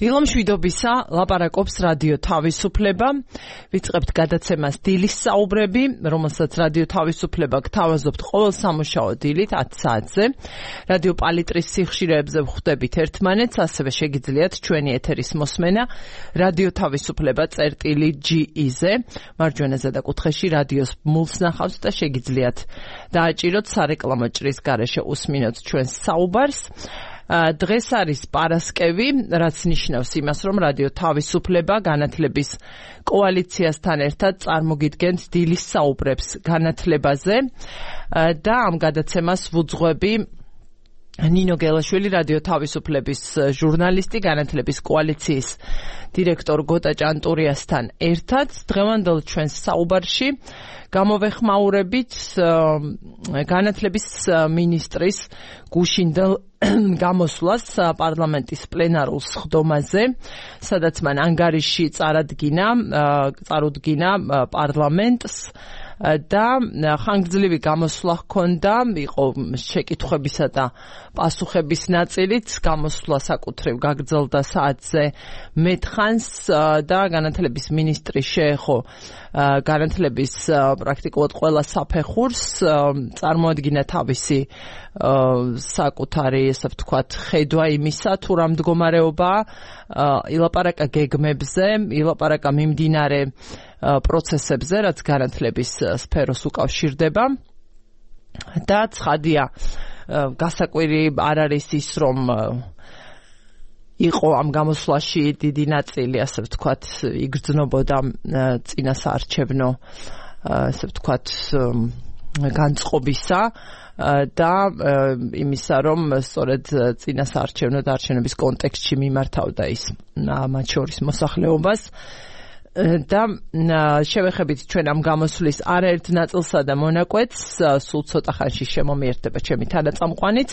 დილამშვიდობისა, ლაპარაკობს რადიო თავისუფლება. ვიწყებთ გადაცემას დილის საუბრები, რომელსაც რადიო თავისუფლება გთავაზობთ ყოველ სამუშაო დილით 10 საათზე. რადიო პალიტრის სიხშირეებზე ვხვდებით ერთმანეთს, ასევე შეგიძლიათ ჩვენი ეთერის მოსმენა რადიო თავისუფლება წერტილი.ge-ზე. მარჯვენა ზედაკუთხეში რადიოს ბმულს ნახავთ და შეგიძლიათ დააჭიროთ სარეკლამო ჭრის გარეშე უსმინოთ ჩვენს საუბარს. დღეს არის პარასკევი, რაც ნიშნავს იმას, რომ რადიო თავისუფლება განათლების კოალიციასთან ერთად წარმოგიდგენთ დილის საუბრებს განათლებაზე და ამ გადაცემას ვუძღვები ნინო გელაშვილი, რადიო თავისუფლების ჟურნალისტი, განათლების კოალიციის დირექტორ გოტა ჭანტურიასთან ერთად. დღევანდელ ჩვენს საუბარში გამოვეხმაურებით განათლების მინისტრის გუშინდელ გამოსვლას პარლამენტის პლენარულ სხდომაზე, სადაც მან ანგარიში წარუდგინა პარლამენტს და ხანგრძლივი გამოსვლა ჰქონდა, იყო შეკითხვებისა და პასუხების ნაწილიც, გამოსვლა საკუთრივ გაგრძელდა საათზე მეტხანს და განათლების მინისტრი შეეხო განათლების პრაქტიკულად ყველა საფეხურს, წარმოადგინა თავისი საკუთარი, ესე ვთქვათ, ხედვა იმისა, თუ რა მდგომარეობაა, ილაპარაკა გეგმებზე, ილაპარაკა მიმდინარე პროცესებზე, რაც განათლების სფეროს უკავშირდება და ცხადია, გასაკვირი არ არის ის, რომ იყო ამ გამოსვლაში დიდი ნაწილი, ასე ვთქვათ, იგრძნობოდა წინასაარჩევნო, ასე ვთქვათ, განწყობისა და იმისა, რომ სწორედ წინასაარჩევნო დარჩენების კონტექსტში მიმართავდა ის მათ შორის მოსახლეობას. და შევეხებით ჩვენ ამ გამოსვლის არაერთ ნაწილსა და მონაკვეთს, სულ ცოტა ხანში შემომიერთდება ჩემი თანაწამყვანიც.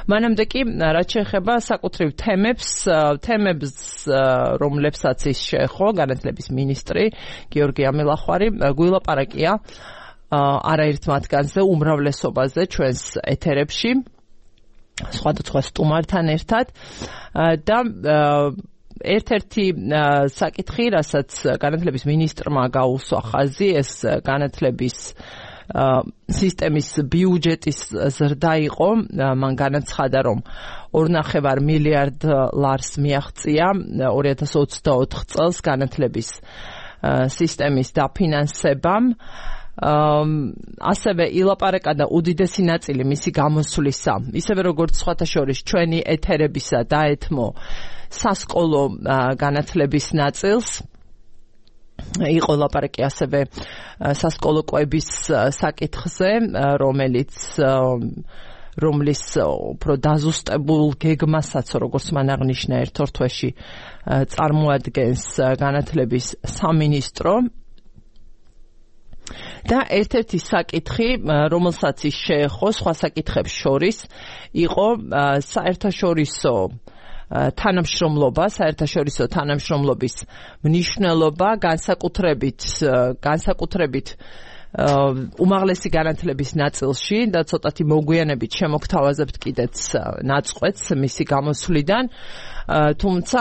მანამდე კი, რაც შეეხება საკუთრივ თემებს, რომლებსაც ის შეეხო, განათლების მინისტრი გიორგი ამილახვარი გვილაპარაკია არაერთ მათგანზე, უმრავლესობაზე ჩვენს ეთერებში, სხვადასხვა სტუმართან ერთად და ერთ-ერთი საკითხი, რასაც განათლების მინისტრმა გაუსვა ხაზი, ეს განათლების სისტემის ბიუჯეტის ზრდა იყო. მან განაცხადა, რომ 2,5 მილიარდ ლარს მიაღწია 2024 წელს განათლების სისტემის დაფინანსებამ. ასევე ილაპარაკა და უდიდესი ნაწილი მისი გამოსვლისა, ისევე როგორც სხვათა შორის ჩვენი ეთერებისა დაეთმო სასკოლო განათლების ნაწილს. იყო ლაპარაკი ასევე სასკოლო კვების საკითხზე, რომლის უფრო დაზუსტებულ გეგმასაც, როგორც მან აღნიშნა, ერთ-ორ თვეში წარმოადგენს განათლების სამინისტრო. და ერთ-ერთი საკითხი, რომელსაც ის შეეხო სხვა საკითხებს შორის, იყო საერთაშორისო თანამშრომლობის მნიშვნელობა, განსაკუთრებით უმაღლესი განათლების ნაწილში და ცოტათი მოგვიანებით შემოგთავაზებთ კიდეც ნაწყვეტს მისი გამოსვლიდან. თუმცა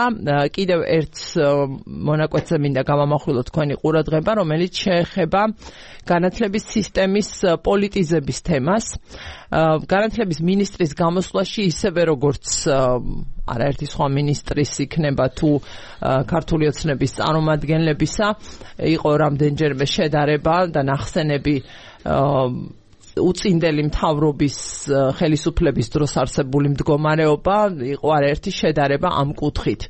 კიდევ ერთ მონაკვეთზე მინდა გამამახვილოთ თქვენი ყურადღება, რომელიც შეეხება განათლების სისტემის პოლიტიზების თემას. განათლების მინისტრის გამოსვლაში, ისევე როგორც არაერთი სხვა მინისტრის იქნება თუ ქართული ოცნების წარმომადგენლებისა, იყო რამდენჯერმე შედარება და ნახსენები უწინდელი მთავრობის ხელისუფლების დროს არსებული მდგომარეობა, იყო არაერთი შედარება ამ კუთხით.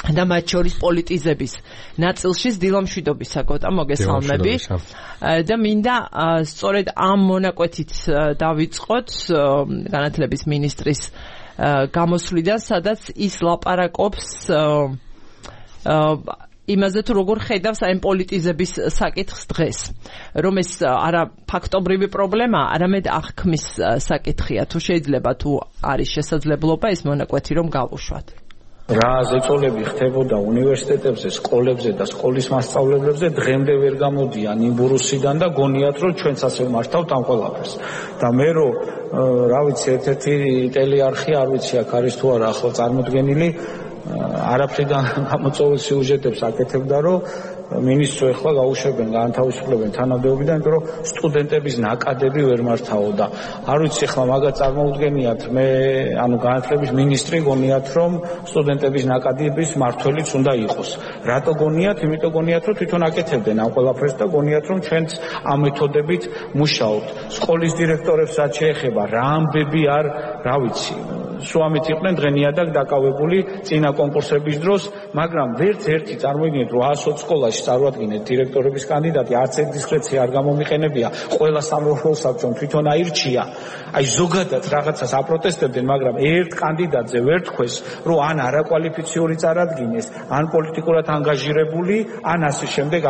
და მათ შორის პოლიტიზების ნაწილში დილამშვიდობისა, გოტა, მოგესალმები. და მინდა სწორედ ამ მონაკვეთით დავიწყოთ განათლების მინისტრის გამოსვლიდან, სადაც ის ლაპარაკობს იმაზე, თუ როგორ ხედავს ამ პოლიტიზების საკითხს დღეს, რომ ეს არა ფაქტობრივი პრობლემა, არამედ აღქმის საკითხია. თუ შეიძლება, თუ არის შესაძლებლობა ეს მონაკვეთი რომ გავუშვათ. რა ზეწოლები ხდებოდა უნივერსიტეტებზე, სკოლებზე და სკოლის მასწავლებლებზე დღემდე ვერ გამოდიან იმბურუსიდან და გონიათ რომ ჩვენც ასე მართავთ ამ ყველაფერს. და მე რომ რა ვიცი ერთ-ერთი ტელეარხი არ ვიცი აქ არის თუ არა ახლა წარმოდგენილი არაფრიდან გამოწვეულ სიუჟეტებს აკეთებდა რომ მინისტრს ახლა გაუშვებენ, გაანთავისუფლებენ თანამდებობიდან, იმიტომ რომ სტუდენტების ნაკადები ვერ მართავო და არ ვიცი ახლა მაგას წარმოუდგენიათ მე ანუ განათლების მინისტრი გონიათ რომ სტუდენტების ნაკადების მართველიც უნდა იყოს. რატო გონიათ? იმიტომ გონიათ რომ თვითონ აკეთებდნენ ამ ყველაფერს და გონიათ რომ ჩვენც ამ მეთოდებით მუშაობთ. სკოლის დირექტორებს რაც შეეხება რა ამბები არ რა ვიცი სუამით იყვნენ დღენიადაკ დაკავებული წინა კონკურსების დროს, მაგრამ ვერც ერთი წარმოიდგინეთ რომ 100 სკოლაში წარუადგინეთ დირექტორების კანდიდატი, არც ერთ დისკრეცია არ გამომიყენებია, ყველა სამრევლო საბჭომ თვითონ აირჩია. აი ზოგადად რაღაცას აპროტესტებდნენ, მაგრამ ერთ კანდიდატზე ვერ თქვეს, რომ ან არაკვალიფიციური წარადგინეს, ან პოლიტიკურად ანგაჟირებული, ან ასე შემდეგ.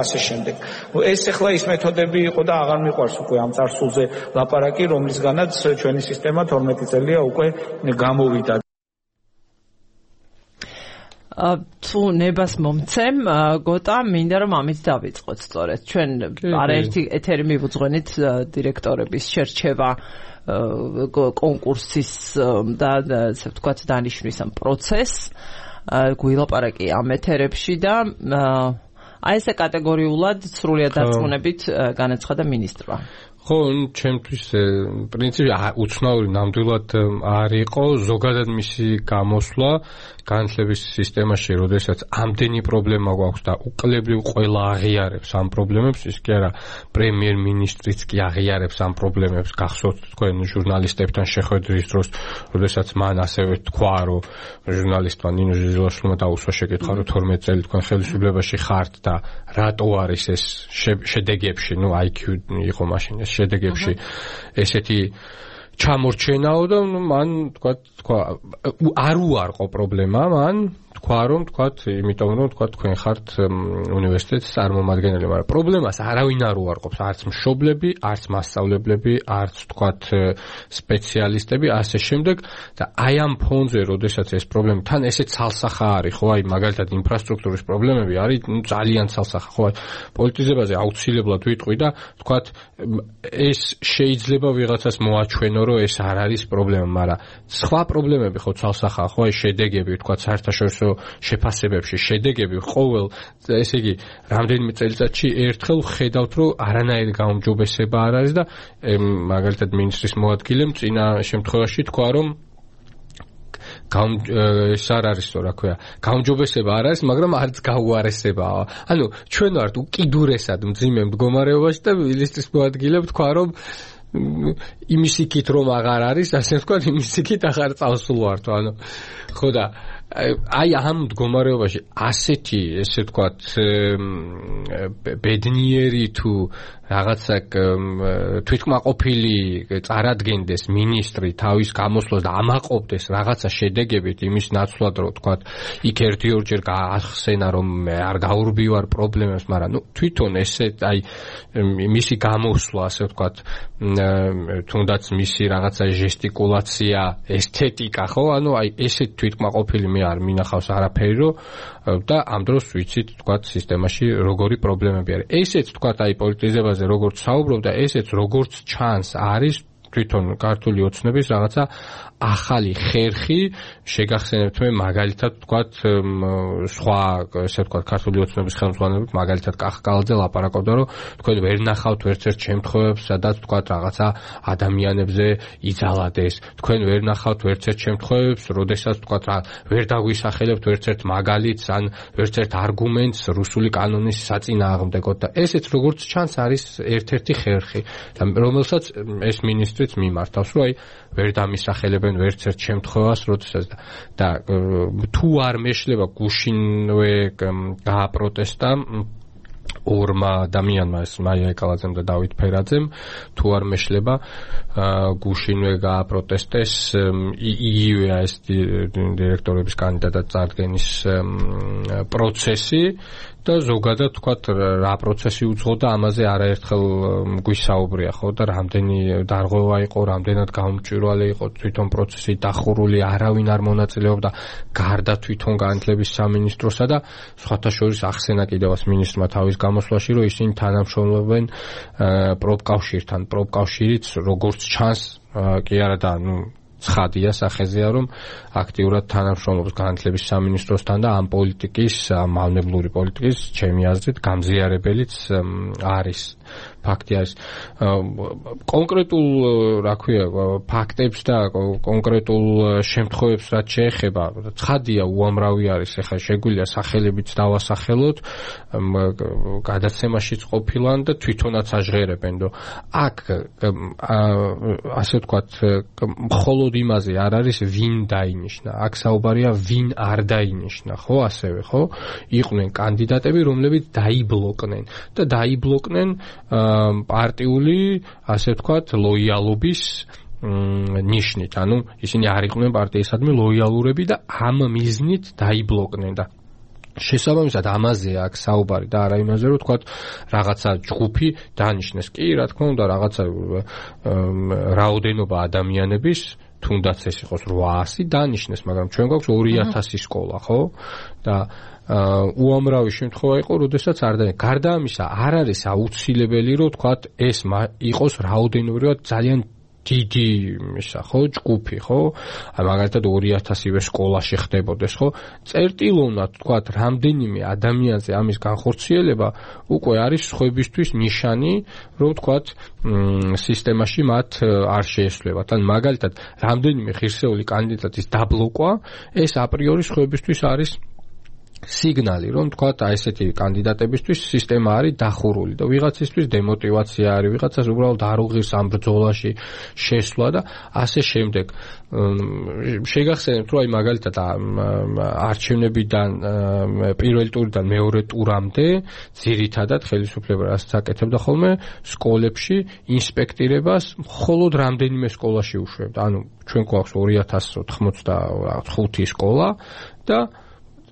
ეს ახლა ის მეთოდები იყო და აღარ მიყვარს უკვე ამ წარსულზე ლაპარაკი, რომლისგანაც ჩვენი სისტემა 12 წელია უკვე გამოვიდა. თუ ნებას მომცემ, გოტა, მინდა რომ ამით დავიწყოთ სწორედ. ჩვენ არაერთი ეთერი მივუძღვენით დირექტორების შერჩევა კონკურსის და ასე ვთქვათ დანიშვნის ამ პროცესს. გვილაპარაკი ამ ეთერებში და აი ესე კატეგორიულად სრულიად დარწმუნებით განაცხადა მინისტრმა. ხო, ჩემთვის პრინციპი უცნაური ნამდვილად არ იყო ზოგადად მისი გამოსვლა განათლების სისტემაში, როდესაც ამდენი პრობლემა გვაქვს და უკლებრივ ყველა აღიარებს ამ პრობლემებს, ის კი არა პრემიერ-მინისტრიც კი აღიარებს ამ პრობლემებს. გახსოვთ თქვენ ჟურნალისტებთან შეხვედრის დროს, როდესაც მან ასევე თქვა, რომ ჟურნალისტმა ნინო ჟილაშვილმა დაუსვა შეკითხვა, რომ 12 წელი თქვენ ხელისუფლებაში ხართ და რატო არის ეს შედეგებში, IQ იყო მაშინ ეს შედეგებში ესეთი ჩამორჩენაო და მან თქვა არ უარყო პრობლემა, მან თქვა რომ იმიტომ რომ თქვენ ხართ უნივერსიტეტის წარმომადგენელი, მაგრამ პრობლემას არავინ არ უარყოფს, არც მშობლები, არც მასწავლებლები, არც სპეციალისტები, ასე შემდეგ და აი ამ ფონზე, როდესაც ეს პრობლემა თან ესე ცალსახა არის, ხო, აი მაგალითად ინფრასტრუქტურის პრობლემები არის ძალიან ცალსახა, ხო, აი პოლიტიზებაზე აუცილებლად ვიტყვი და ეს შეიძლება ვიღაცას მოაჩვენო, რომ ეს არ არის პრობლემა, მაგრამ სხვა პრობლემები ხო ცალსახაა, ხო, აი შედეგები, საერთაშორისო შეფასებებში შედეგები ყოველ, ესე იგი, რამდენიმე წელიწადში ერთხელ ხედავთ, რომ არანაირი გაუმჯობესება არ არის და მაგალითად მინისტრის მოადგილემ წინა შემთხვევაში თქვა, რომ ეს არ არის რა ქვია, გაუმჯობესება არ არის, მაგრამ არც გაუარესებაა. ანუ ჩვენ ვართ უკიდურესად მძიმე მდგომარეობაში და მინისტრის მოადგილემ თქვა, რომ იმის იქით რომ აღარ არის, ასე ვთქვათ, იმის იქით აღარ წავსულვართ, ანუ ხო და აი ამ მდგომარეობაში ასეთი, ესე ვთქვათ, ბედნიერი თუ რაღაცა თვითკმაყოფილი წარადგენდეს მინისტრი თავის გამოსვლას და ამაყობდეს რაღაცა შედეგებით იმის ნაცვლად, რომ ვთქვათ, იქ ერთ-ორჯერ გაახსენა, რომ არ გაურბივარ პრობლემებს, მაგრამ თვითონ ესე აი მისი გამოსვლა, ასე ვთქვათ, თუნდაც მისი რაღაცა ჟესტიკულაცია, ესთეტიკა, ხო, ანუ აი ესეთ თვითკმაყოფილი მე არ მინახავს არაფერი, რომ და ამ დროს ვიცით, ვთქვათ, სისტემაში როგორი პრობლემები არის. ესეც ვთქვათ, აი პოლიტიზებაზე როგორც საუბრობ და ესეც როგორც ჩანს არის თვითონ ქართული ოცნების რაღაცა ახალი ხერხი, შეგახსენებთ მე მაგალითად ვთქვათ სხვა, ესე ვთქვათ, ქართული ოცნების ხელმძღვანელობით, მაგალითად კახკალაძე ლაპარაკობდა, რომ თქვენ ვერ ნახავთ ერთ-ერთ შემთხვევებს, სადაც ვთქვათ რაღაცა ადამიანებზე იძალადეს. თქვენ ვერ ნახავთ ერთ-ერთ შემთხვევებს, როდესაც ვთქვათ ვერ დაგვისახელებთ ერთ-ერთ მაგალითს ან ერთ-ერთ არგუმენტს რუსული კანონის საწინააღმდეგოდ და ესეც როგორც ჩანს არის ერთ-ერთი ხერხი, რომელსაც ეს მინისტრიც მიმართავს, რომ აი ვერ დამისახელებენ ვერც ერთ შემთხვევას, როდესაც და თუ არ მეშლება გუშინვე გააპროტესტა ორმა ადამიანმა, მაია ეკალაძემ და დავით ფერაძემ, თუ არ მეშლება გუშინვე გააპროტესტეს იგივე ეს დირექტორების კანდიდატად წარდგენის პროცესი და ზოგადად თქვათ რა პროცესი უძღოდა ამაზე არაერთხელ გვისაუბრია ხო და რამდენი დარღვევა იყო, რამდენად გამჭვირვალე იყო თვითონ პროცესი დახურული, არავინ არ მონაწილეობდა გარდა თვითონ განათლების სამინისტროსა და სხვათა შორის ახსენა კიდევაც მინისტრმა თავის გამოსვლაში, რომ ისინი თანამშრომლობენ პროფკავშირთან. პროფკავშირიც როგორც ჩანს კი არა და ცხადია სახეზეა, რომ აქტიურად თანამშრომლობს განათლების სამინისტროსთან და ამ პოლიტიკის, მავნებლური პოლიტიკის, ჩემი აზრით, გამზიარებელიც არის. ფაქტი არის. კონკრეტულ, რა ქვია, ფაქტებს და კონკრეტულ შემთხვევებს რაც შეეხება, ცხადია უამრავი არის, ეხლა შეგვიძლია სახელებიც დავასახელოთ, გადაცემაშიც ყოფილან და თვითონაც აჟღერებენ, რომ აქ ასე ვთქვათ, მხოლოდ იმაზე არ არის ვინ დაინიშნა, აქ საუბარია ვინ არ დაინიშნა, ხო, ასევე, ხო? იყვნენ კანდიდატები, რომლებიც დაიბლოკნენ და დაიბლოკნენ პარტიული, ასე ვთქვათ, ლოიალობის ნიშნით, ანუ ისინი არ იყვნენ პარტიისადმი ლოიალურები და ამ მიზნით დაიბლოკნენ და შესაბამისად ამაზე აქ საუბარი და არა იმაზე, რომ ვთქვათ, რაღაცა ჯგუფი დანიშნეს. კი, რა თქმა უნდა, რაღაცა რაოდენობა ადამიანების თუნდაც ეს იყოს 800 დანიშნეს, მაგრამ ჩვენ გვაქვს 2000 სკოლა, ხო? და უამრავი შემთხვევა იყო, როდესაც არ დანიშნეს. გარდა ამისა, არ არის აუცილებელი, რომ ვთქვათ, ეს იყოს რაოდენობრივად ძალიან დიდი ისა, ხო, ჯგუფი, ხო? მაგალითად 2000-ივე სკოლაში ხდებოდეს, ხო? წერტილოვნად, ვთქვათ, რამდენიმე ადამიანზე ამის განხორციელება უკვე არის სხვებისთვის ნიშანი, რომ ვთქვათ, სისტემაში მათ არ შეესვლევათ. ან მაგალითად, რამდენიმე ღირსეული კანდიდატის დაბლოკვა, ეს აპრიორი სხვებისთვის არის სიგნალი, რომ თქვათ, აი ესეთი კანდიდატებისთვის სისტემა არის დახურული და ვიღაცისთვის დემოტივაცია არის, ვიღაცას უბრალოდ არ უღირს ამ ბრძოლაში შესვლა და ასე შემდეგ. შეგახსენებთ, რომ აი მაგალითად არჩევნებიდან პირველი ტურიდან მეორე ტურამდე ძირითადად ხელისუფლება რასაც აკეთებდა ხოლმე სკოლებში ინსპექტირებას მხოლოდ რამდენიმე სკოლაში უშვებდა. ანუ ჩვენ გვაქვს 2085 სკოლა და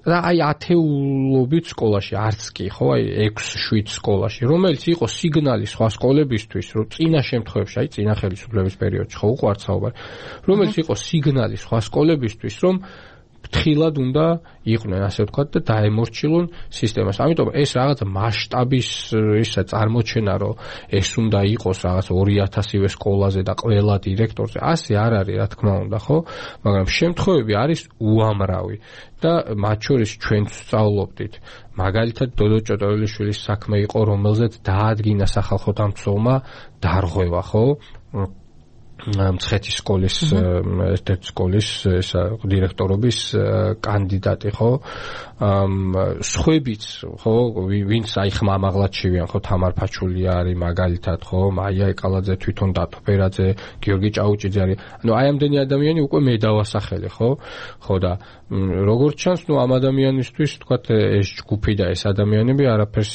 აი ათეულობით სკოლაში, არც კი, ხო, აი 6-7 სკოლაში, რომელიც იყო სიგნალი სხვა სკოლებისთვის, რომ წინა შემთხვევაში, აი წინა ხელისუფლების პერიოდში, ხო, უყვართ საუბარი, რომელიც იყო სიგნალი სხვა სკოლებისთვის, რომ ფრთხილად უნდა იყვნენ, ასე ვთქვათ, და დაემორჩილონ სისტემას. ამიტომ ეს რაღაც მასშტაბის ისა წარმოჩენა, რომ ეს უნდა იყოს რაღაც 2000-ივე სკოლაზე და ყველა დირექტორზე, ასე არ არის, რა თქმა უნდა, ხო? მაგრამ შემთხვევები არის უამრავი და მათ შორის ჩვენც ვსწავლობდით. მაგალითად, დოდო ჭოტოელიშვილის საქმე იყო, რომელზეც დაადგინა სახალხო დამცველმა დარღვევა, ხო? მცხეთის სკოლის ერთ-ერთი სკოლის დირექტორობის კანდიდატი, ხო? სხვებიც, ხო, ვინც აი ხმამაღლად შევიან, ხო, თამარ ფაჩულია არის მაგალითად, ხო, მაია ეკალაძე, თვითონ დათო ფერაძე, გიორგი ჭაუჭიძე არის. ანუ აი ამდენი ადამიანი უკვე მე დავასახელე, ხო? ხო და როგორც ჩანს, ნუ ამ ადამიანისთვის, თქვათ, ეს ჯგუფი და ეს ადამიანები არაფერს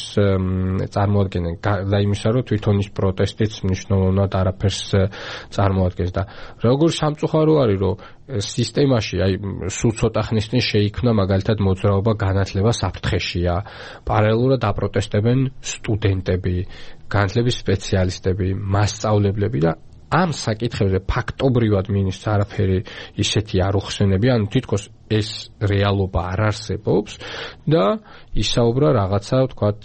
წარმოადგენენ. და იმისა, რომ თვითონ ის პროტესტიც მნიშვნელოვნად არაფერს წარმოადგენს და როგორც სამწუხარო არის, რომ სისტემაში აი სულ ცოტა ხნის წინ შეიქმნა მაგალითად მოძრაობა განათლება საფრთხეშია. პარალელურად აპროტესტებენ სტუდენტები, განათლების სპეციალისტები, მასწავლებლები და ამ საკითხებზე ფაქტობრივად მინისტრს არაფერი ისეთი არ უხსენებია, ანუ თითქოს ეს რეალობა არ არსებობს და ისაუბრა რაღაცა, ვთქვათ,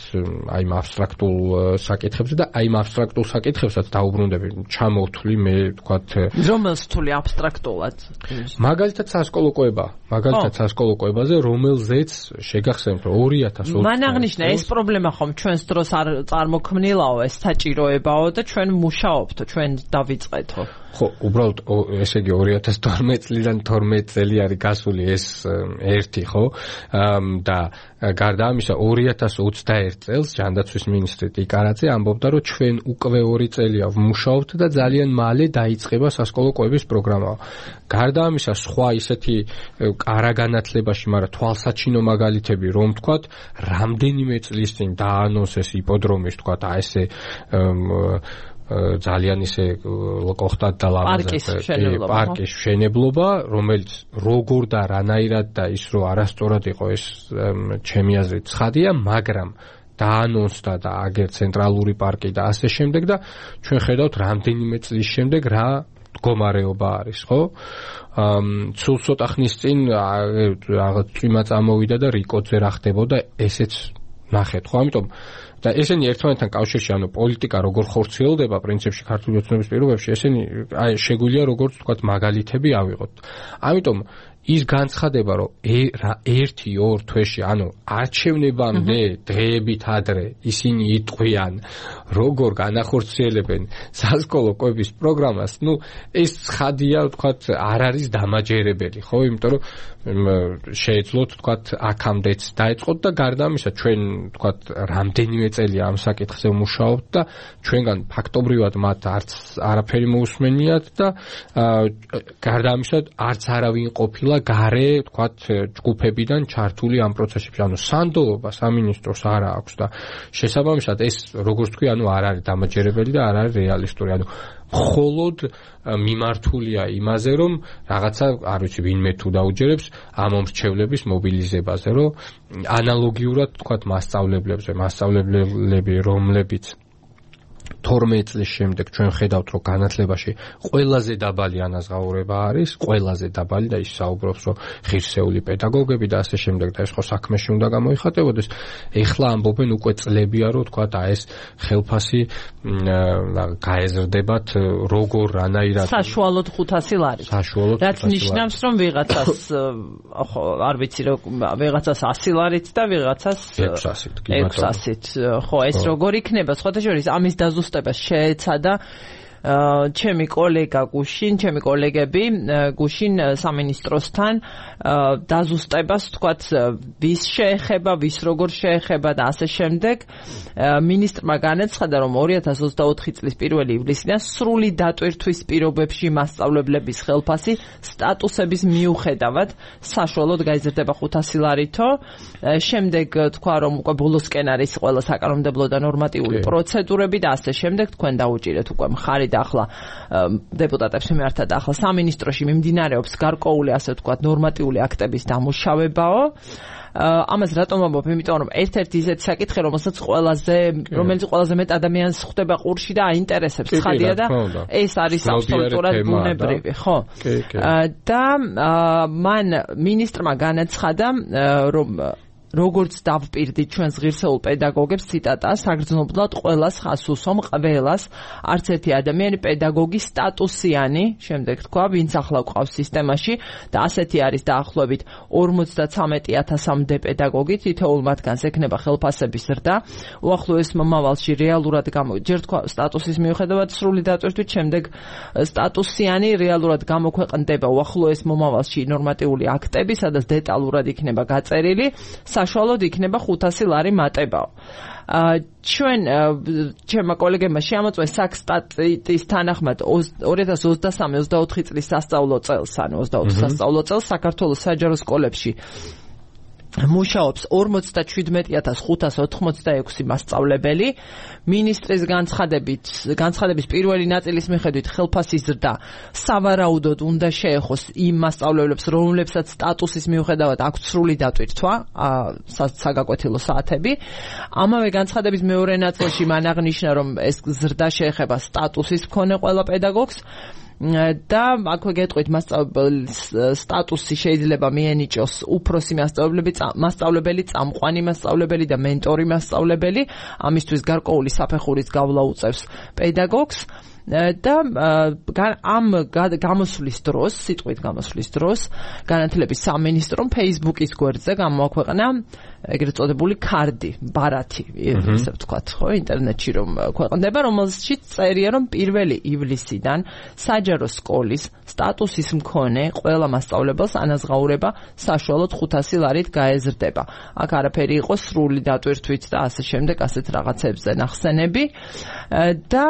აი ამ აბსტრაქტულ საკითხებზე და აი ამ აბსტრაქტულ საკითხებსაც დაუბრუნდები, ჩამოვთვლი მე, ვთქვათ, რომელს თვლი აბსტრაქტულად? მაგალითად სასკოლო კვება, სასკოლო კვებაზე, რომელზეც შეგახსენებთ, რომ 2020 მან აღნიშნა ეს პრობლემა ხომ ჩვენს დროს არ წარმოქმნილაო, ეს საჭიროებაო და ჩვენ მუშაობთ, ჩვენ დავიწყეთო. ხო, უბრალოდ ესე იგი 2012 წლიდან 12 წელი არის გასული ეს ერთი, ხო? და გარდა ამისა 2021 წელს ჯანდაცვის მინისტრი ტიკარაძე ამბობდა, რომ ჩვენ უკვე 2 წელია ვმუშაობთ და ძალიან მალე დაიწყება სასკოლო კვების პროგრამა. გარდა ამისა სხვა ისეთი არაგანათლებაში, მაგრამ თვალსაჩინო მაგალითები, რომ ვთქვათ, რამდენიმე წლის წინ დაანონსეს იპოდრომის, ვთქვათ, აი ესე ძალიან ისე ლოკოხტად და ლამაზად პარკის მშენებლობა, რომელიც როგორ და რანაირად და ის რო არასწორად იყო ეს ჩემი აზრით ცხადია, მაგრამ დაანონსდა და აგერ ცენტრალური პარკი და ასე შემდეგ და ჩვენ ხედავთ რამდენიმე წლის შემდეგ რა მდგომარეობა არის, ხო? სულ ცოტა ხნის წინ რაღაც წვიმა წამოვიდა და რიკოძე რა ხდებოდა, ესეც ნახეთ, ხო? ამიტომ და ესენი ერთმანეთთან კავშირში, ანუ პოლიტიკა როგორ ხორციელდება პრინციპში ქართული ოცნების პირობებში, ესენი შეგვიძლია როგორც ვთქვათ მაგალითები ავიღოთ. ამიტომ ის განცხადება, რომ 1-2 თვეში, ანუ არჩევნებამდე დღეებით ადრე ისინი იტყვიან, როგორ განახორციელებენ სასკოლო კვების პროგრამას, ეს ცხადია, ვთქვათ, არ არის დამაჯერებელი, ხო? იმიტომ რომ შეეძლოთ, ვთქვათ, აქამდეც დაეწყოთ და გარდა ამისა, ჩვენ, ვთქვათ, რამდენიმე წელი ამ საკითხზე ვმუშაობთ და ჩვენგან ფაქტობრივად მათ არაფერი მოусმენიათ და გარდა ამისა, არც არავინ ყოფილა გარე, ვთქვათ, ჯგუფებიდან ჩართული ამ პროცესებში, ანუ სანდოობა სამინისტროს არ აქვს და შესაბამისად ეს, როგორც თქვი, ანუ არ არის დამაჯერებელი და არ არის რეალისტური, ანუ მხოლოდ მიმართულია იმაზე, რომ რაღაცა, არ ვიცი, ვინმე თუ დაუჯერებს ამ მომრჩევლების მობილიზებაზე, რომ ანალოგიურად, ვთქვათ, მასწავლებლები, რომლებიც 12 წლის შემდეგ ჩვენ ხედავთ, რომ განათლებაში ყველაზე დაბალი ანაზღაურება არის, ყველაზე დაბალი და ის საუბრობს, რომ ღირსეული პედაგოგები და ასე შემდეგ და ეს ხო საქმეში უნდა გამოიხატებოდეს. ეხლა ამბობენ უკვე წლებია, რომ თქვა და ეს ხელფასი გაეზრდებათ როგორ რანაირად საშუალოდ 500 ლარი. რაც ნიშნავს, რომ ვიღაცას ხო არ ვიცი, რომ ვიღაცას 100 ლარით და ვიღაცას 600-ით. ხო, ეს როგორ იქნება? სხვათა შორის ამის დაზუსტება შეეცადა ჩემი კოლეგა გუშინ, ჩემი კოლეგები გუშინ სამინისტროსთან დაზუსტებას, თქვათ, ვის შეეხება, ვის როგორ შეეხება და ასე შემდეგ. მინისტრმა განაცხადა, რომ 2024 წლის 1 ივლისიდან სრული დატვირთვის პირობებში მასწავლებლების ხელფასი სტატუსების მიუხედავად საშუალოდ გაიზრდება 500 ლარითო. შემდეგ თქვა, რომ უკვე ბოლოსკენ არის ყველა საკანონმდებლო და ნორმატიული პროცედურები და ასე შემდეგ. თქვენ დაუჭირეთ უკვე მხარი და ახლა დეპუტატებს მიმართა და ახლა სამინისტროში მიმდინარეობს გარკვეული, ასე ვთქვათ, ნორმატიული აქტების დამუშავებაო. ამას რატომ ვამბობ? იმიტომ რომ ერთ-ერთი ისეთი საკითხი, რომელიც ყველაზე მეტ ადამიანს ხვდება ყურში და აინტერესებს, ხადია და ეს არის აბსოლუტურად ბუნებრივი, ხო? და მან მინისტრმა განაცხადა, რომ როგორც დავპირდით ჩვენს ღირსეულ პედაგოგებს, ციტატა, საგრძნობლად ყველას ხას უსვამ, ყველას არც ერთი ადამიანი პედაგოგი სტატუსიანი, შემდეგ თქვა, ვინც ახლა გვყავს სისტემაში და ასეთი არის დაახლოებით 53,000-მდე პედაგოგი, თითოეულ მათგანს ექნება ხელფასების ზრდა. უახლოეს მომავალში რეალურად ჯერ თქვა სტატუსის მიუხედავად სრული დატვირთვით, შემდეგ სტატუსიანი რეალურად გამოქვეყნდება უახლოეს მომავალში ნორმატიული აქტები, სადაც დეტალურად იქნება გაწერილი, საშუალოდ იქნება 500 ლარი მატებაო. ჩემმა კოლეგებმა შეამოწმეს საქსტატის თანახმად 2023-24 წლის სასწავლო წელს, ანუ 24 სასწავლო წელს საქართველოს საჯარო სკოლებში მუშაობს 47,586 მასწავლებელი. მინისტრის განცხადების პირველი ნაწილის მიხედვით ხელფასის ზრდა სავარაუდოდ უნდა შეეხოს იმ მასწავლებლებს, რომლებსაც სტატუსის მიუხედავად აქვთ სრული დატვირთვა, საგაკვეთილო საათები. ამავე განცხადების მეორე ნაწილში მან აღნიშნა, რომ ეს ზრდა შეეხება სტატუსის მქონე ყველა პედაგოგს. და აქვე გეტყვით, მასწავლებლის სტატუსი შეიძლება მიენიჭოს უფროსი მასწავლებელი, წამყვანი მასწავლებელი და მენტორი მასწავლებელი. ამისთვის გარკვეული საფეხურის გავლა უწევს პედაგოგს. და ამ გამოსვლის დროს, სიტყვით გამოსვლის დროს, განათლების სამინისტრომ Facebook-ის გვერდზე გამოაქვეყნა ეგრეთ წოდებული ქარდი, ბარათი, ესე ვთქვათ, ხო, ინტერნეტში რომ ქვეყნდება, რომელშიც წერია, რომ 1 ივლისიდან საჯარო სკოლის სტატუსის მქონე ყველა მასწავლებელს ანაზღაურება საშუალოდ 500 ლარით გაეზრდება. აქ არაფერი იყო სრული დატვირთვით და ასე შემდეგ, ასეთ რაღაცებზე ნახსენები. და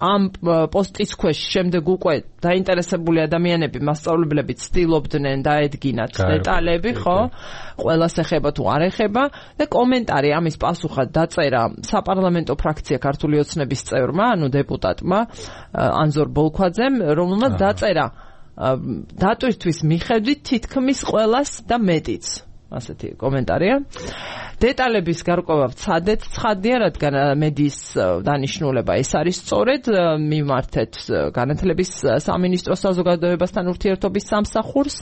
ამ პოსტის ქვეშ შემდეგ უკვე დაინტერესებული ადამიანები, მასწავლებლები ცდილობდნენ დაედგინათ დეტალები, ხო? ყველას ეხება თუ არ ეხება და კომენტარი ამის პასუხად დაწერა საპარლამენტო ფრაქცია ქართული ოცნების წევრმა, ანუ დეპუტატმა ანზორ ბოლქვაძემ, რომელმაც დაწერა დატვირთვის მიხედვით თითქმის ყველას და მეტიც. ასეთი კომენტარია. დეტალების გარკვევა ვცადეთ, ცხადია, რადგან მედიის დანიშნულება ეს არის სწორედ მიმართეთ განათლების სამინისტროს საზოგადოებასთან ურთიერთობის სამსახურს.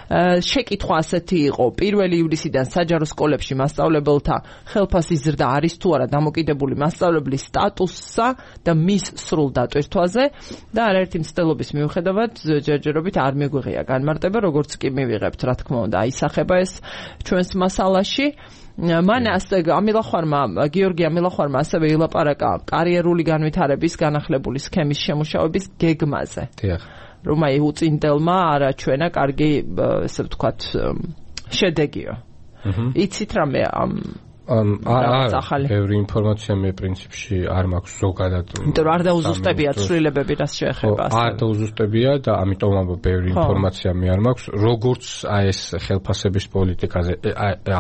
შეკითხვა ასეთი იყო: 1 ივლისიდან საჯარო სკოლებში მასწავლებელთა ხელფასი ზრდა არის თუ არა დამოკიდებული მასწავლებლის სტატუსსა და მის სრულ დატვირთვაზე და არაერთი მცდელობის მიუხედავად ჯერჯერობით არ მიგვიღია განმარტება, როგორც კი მივიღებთ, რა თქმა უნდა, აისახება ეს ჩვენს მასალაში. მან გიორგი ამილახვარმა ასევე ილაპარაკა კარიერული განვითარების განახლებული სქემის შემუშავების გეგმაზე. დიახ. რომ აი უწინდელმა არაჩვენა კარგი, ესე ვთქვათ, შედეგიო. იცით რამე ბევრი ინფორმაცია მე პრინციპში არ მაქვს ზოგადად. იმიტომ რომ არ დაუზუსტებია ცვლილებები, რაც შეეხება ასე. არ დაუზუსტებია და ამიტომ ბევრი ინფორმაცია მე არ მაქვს. როგორც ეს ხელფასების პოლიტიკაზე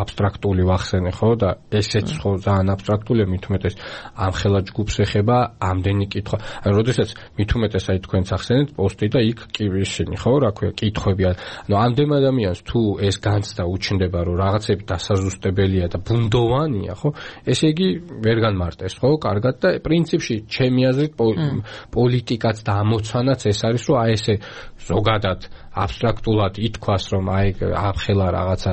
აბსტრაქტული ვახსენე, ხო, და ესეც ხო ძალიან აბსტრაქტულია, მით უმეტეს ამ ხელა ჯგუფს ეხება ამდენი კითხვა. ანუ როდესაც მით უმეტეს აი თქვენც ახსენეთ პოსტი და იქ კი ისინი, ხო, რა ქვია, კითხვები. ანუ ამდენ ადამიანს თუ ეს განცდა უჩნდება, რომ რაღაცები დასაზუსტებელია და ბუნდოვანია, ხო? ესე იგი ვერ განმარტეს, ხო? კარგად და პრინციპში ჩემი აზრით პოლიტიკაც და ამოცანაც ეს არის, რომ აი ესე ზოგადად აბსტრაქტულად ითქვას, რომ აი ახლა რაღაცა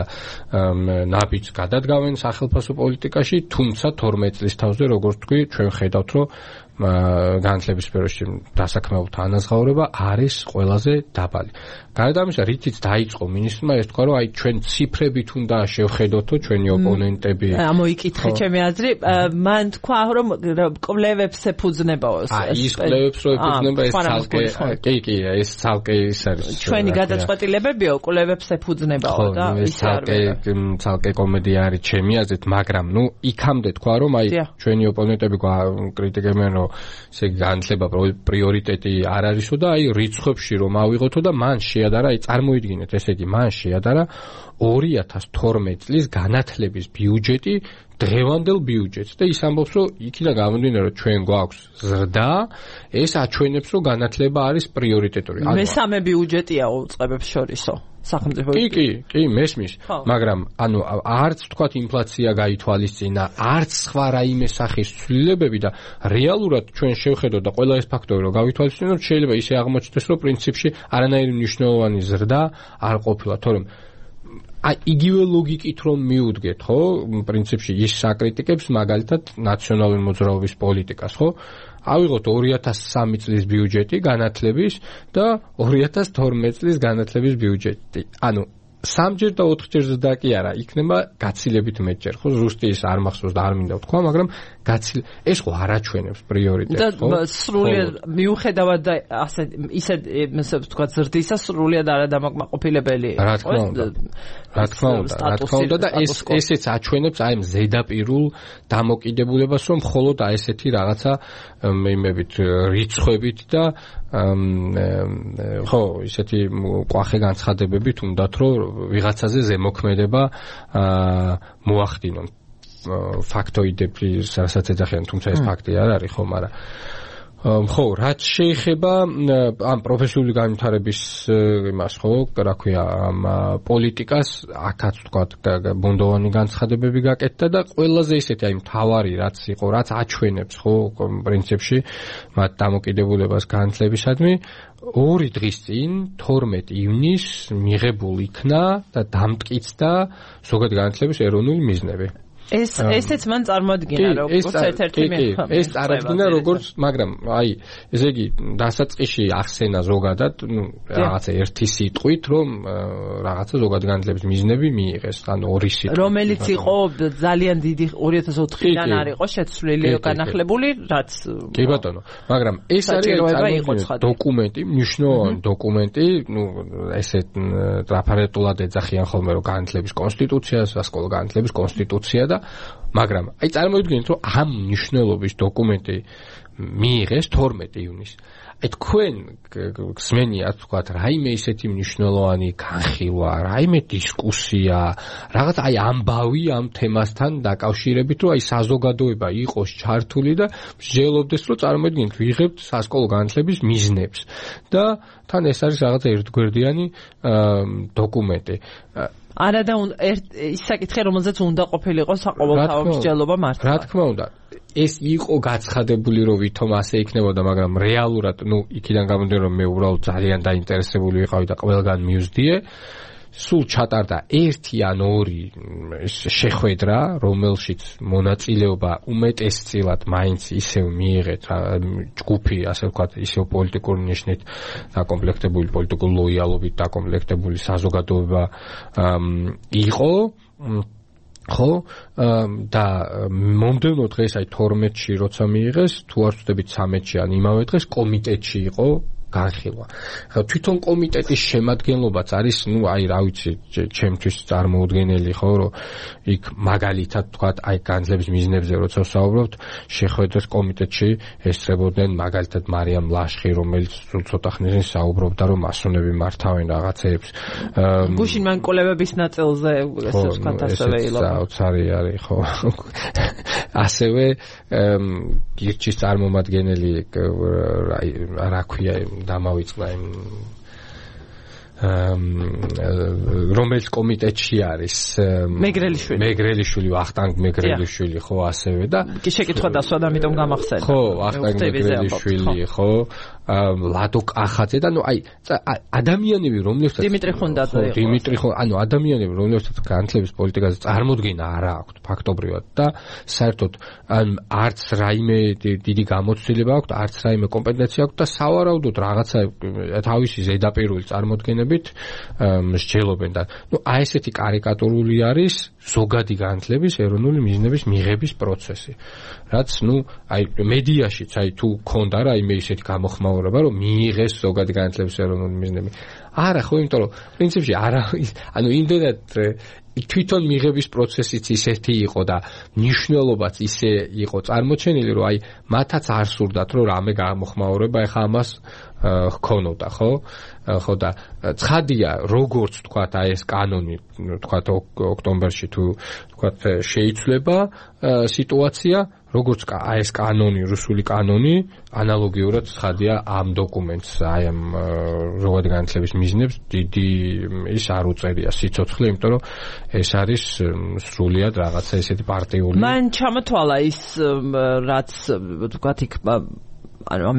ნაბიჯს გადადგავენ სახელმწიფო პოლიტიკაში, თუმცა 12 წლის თავზე, როგორც თქვი, ჩვენ ხედავთ, რომ განათლების სფეროში დასაქმებულთა ანაზღაურება არის ყველაზე დაბალი. გარდა ამისა, რითიც დაიწყო მინისტრმა ეს თქვა, რომ აი ჩვენ ციფრებით უნდა შევხედოთო ჩვენი ოპონენტები. ამოიკითხე ჩემი აზრი, მან თქვა, რომ კვლევებს ეფუძნებაო. ის კვლევებს რო ეფუძნება ეს ცალკე, კი, ეს ცალკე ის არის. ჩვენი გადაწყვეტილებებიო კვლევებს ეფუძნებაო და ის ცალკე კომედია არის ჩემი აზრით, მაგრამ ნუ იქამდე თქვა, რომ აი ჩვენი ოპონენტები კრიტიკებენ, რომ ესე განათლება პრიორიტეტი არ არისო და აი რიცხვებში რომ ავიღოთო და მან შეადარა, აი წარმოიდგინეთ, ესე იგი მან შეადარა 2012 წლის განათლების ბიუჯეტი დღევანდელ ბიუჯეტს და ის ამბობს, რომ იქიდან გამომდინარე, რომ ჩვენ გვაქვს ზრდა, ეს აჩვენებს, რომ განათლება არის პრიორიტეტული. მესამე ბიუჯეტია უწყებებს შორისო. სახელმწიფო კი, მესმის, მაგრამ ანუ არც თქვათ ინფლაცია გაითვალისწინა, არც სხვა რაიმე სახის ცვლილებები და რეალურად ჩვენ შევხედოთ და ყველა ეს ფაქტორი რომ გავითვალისწინოთ, შეიძლება ისე აღმოჩნდეს, რომ პრინციპში არანაირი მნიშვნელოვანი ზრდა არ ყოფილა, თორემ აი იგივე ლოგიკით რომ მიუდგეთ, ხო, პრინციპში ის საკრიტიკებს მაგალითად ნაციონალური მოძრაობის პოლიტიკას, ხო? ავიღოთ 2003 წლის ბიუჯეტი განათლების და 2012 წლის განათლების ბიუჯეტი. ანუ 3ჯერ და 4ჯერ ზრდა კი არა, იქნება გაცილებით მეტჯერ, ხო? ზუსტი ის არ მახსოვს და არ მინდა ვთქვა, მაგრამ ეს ხო არ აჩვენებს პრიორიტეტს, ხო? და სრულიად მიუხედავად და ისე ვთქვა ზრდისა სრულიად არადამაკმაყოფილებელი. რა თქმა უნდა და ესეც აჩვენებს აი ზედაპირულ დამოკიდებულებას, რომ მხოლოდ აი ესეთი რაღაცა იმებით რიცხვებით და ხო, ისეთი ყვახე განცხადებებით უნდათ, რომ ვიღაცაზე ზემოქმედება მოახდინონ. ფაქტოიდები, რასაც ეძახიან, თუმცა ეს ფაქტი არ არის, ხო, მაგრამ ხო, რაც შეეხება ამ პროფესიული განვითარების იმას, ხო, რა ქვია, ამ პოლიტიკას, აქაც ვთქვათ, ბუნდოვანი განცხადებები გაკეთდა და ყველაზე ისეთი აი მთავარი რაც იყო, რაც აჩვენებს, ხო, პრინციპში მათ დამოკიდებულებას განათლებისადმი, 2 დღის წინ 12 ივნისს მიღებულ იქნა და დამტკიცდა ზოგადად განათლების ეროვნული მიზნები. ესეც მან წარმოადგინა როგორც ერთ-ერთი ეს წარმოადგინა როგორც, მაგრამ აი ესე იგი დასაწყისში ახსენა ზოგადად, ნუ რაღაცა ერთი სიტყვით, რომ რაღაცა ზოგადად განათლების მიზნები მიიღეს, ანუ 2 სიტყვით. რომელიც იყო ძალიან დიდი 2004-დან არ იყო შეცვლილი განახლებული, რაც კი ბატონო, მაგრამ ეს არის დოკუმენტი, მნიშვნელოვანი დოკუმენტი, ნუ ესეთ ტრაფარეტულად ეძახიან ხოლმე, რომ განათლების კონსტიტუციას, სასკოლო განათლების კონსტიტუცია და და მაგრამ აი წარმოიდგინეთ რომ ამ მნიშვნელობის დოკუმენტი მიიღეს 12 ივნისს. აი თქვენ გსმენიათ თქვათ რაიმე ისეთი მნიშვნელოვანი განხილვა, რაიმე დისკუსია, რაღაც აი ამბავი ამ თემასთან დაკავშირებით, რომ აი საზოგადოება იყოს ჩართული და მსჯელობდეს, რომ წარმოიდგინეთ ვიღებთ სასკოლო განათლების მიზნებს და თან ეს არის რაღაც ერთგვერდიანი დოკუმენტი. არა და ის საკითხი, რომელზეც უნდა ყოფილიყო საყოველთაო მსჯელობა მართლა. რა თქმა უნდა, ეს იყო გაცხადებული, რომ ვითომ ასე იქნებოდა, მაგრამ რეალურად, იქიდან გამომდინარე, რომ მე უბრალოდ ძალიან დაინტერესებული ვიყავი და ყველგან მივზდიე. სულ ჩატარდა 1 ან 2 შეხვედრა, რომელშიც მონაწილეობა უმეტესწილად მაინც ისევ მიიღეთ ჯგუფი, ასე ვთქვათ, ისევ პოლიტიკური ნიშნით დაკომპლექტებული, პოლიტიკური ლოიალობით დაკომპლექტებული საზოგადოება იყო. ხო და მომდევნო დღეს აი 12-ში როცა მიიღეს, თუ არ ვწდებით 13-ში ან იმავე დღეს კომიტეტში იყო განხილვა. ხო თვითონ კომიტეტის შემადგენლობაც არის, აი რა ვიცი, ჩემთვის წარმოუდგენელი, ხო, რომ იქ მაგალითად თქვათ, აი განათლების მიზნებზე როცა ვსაუბრობთ, შეხვედრას კომიტეტში ესწრებოდნენ მაგალითად მარიამ ლაშხი, რომელიც ცოტა ხნის საუბრობდა, რომ მასონები მართავენ რაღაცებს. გუშინ მან კოლევების ნაწილზე ესე ვთქვათ, ასევე საოცარი არის, ხო. ასევე გირჩის წარმომადგენელი რა ქვია დამავიწყდა იმ რომელიც კომიტეტში არის მეგრელიშვილი ვახტანგ მეგრელიშვილი ხო ასევე და კი შეკითხვა დასვა და ამიტომ გამახსენდა ხო ვახტანგ მეგრელიშვილი ხო ლადო კახაძე და აი ადამიანები რომლებსაც დიმიტრი ხუნდაძე იყო დიმიტრი ადამიანები რომლებსაც განათლების პოლიტიკაზე წარმოდგენა არა აქვთ ფაქტობრივად და საერთოდ არც რაიმე დიდი გამოცდილება აქვთ არც რაიმე კომპეტენცია აქვთ და სავარაუდოდ რაღაცა თავისი ზედაპირული წარმოდგენებით მსჯელობენ და აი ესეთი კარიკატურული არის ზოგადი განათლების ეროვნული მიზნების მიღების პროცესი რაც აი მედიაშიც აი თუ ქონდა რაიმე ისეთი გამოხმაურება რომ მიიღეს ზოგადი განათლების ეროვნული მიზნები არა ხო იმიტომ რომ პრინციპში არა იმდენად თვითონ მიღების პროცესიც ისეთი იყო და მნიშვნელობაც ისე იყო წარმოჩენილი რომ აი მათაც არ სურდათ რომ რამე გამოხმაურება ეხა ამას ჰქონოდა ხო და ცხადია როგორც თქვათ აი ეს კანონი თქვათ ოქტომბერში თუ თქვათ შეიცვლება სიტუაცია როგორც აი ეს კანონი რუსული კანონი ანალოგიურად ცხადია ამ დოკუმენტს აი ამ ზოგადი განათლების მიზნებს დიდი ის არ უწერია სიცოცხლე იმიტომ რომ ეს არის სრულიად რაღაცა ესეთი პარტიული მან ჩამოთვალა ის რაც თქვათ იქ ანუ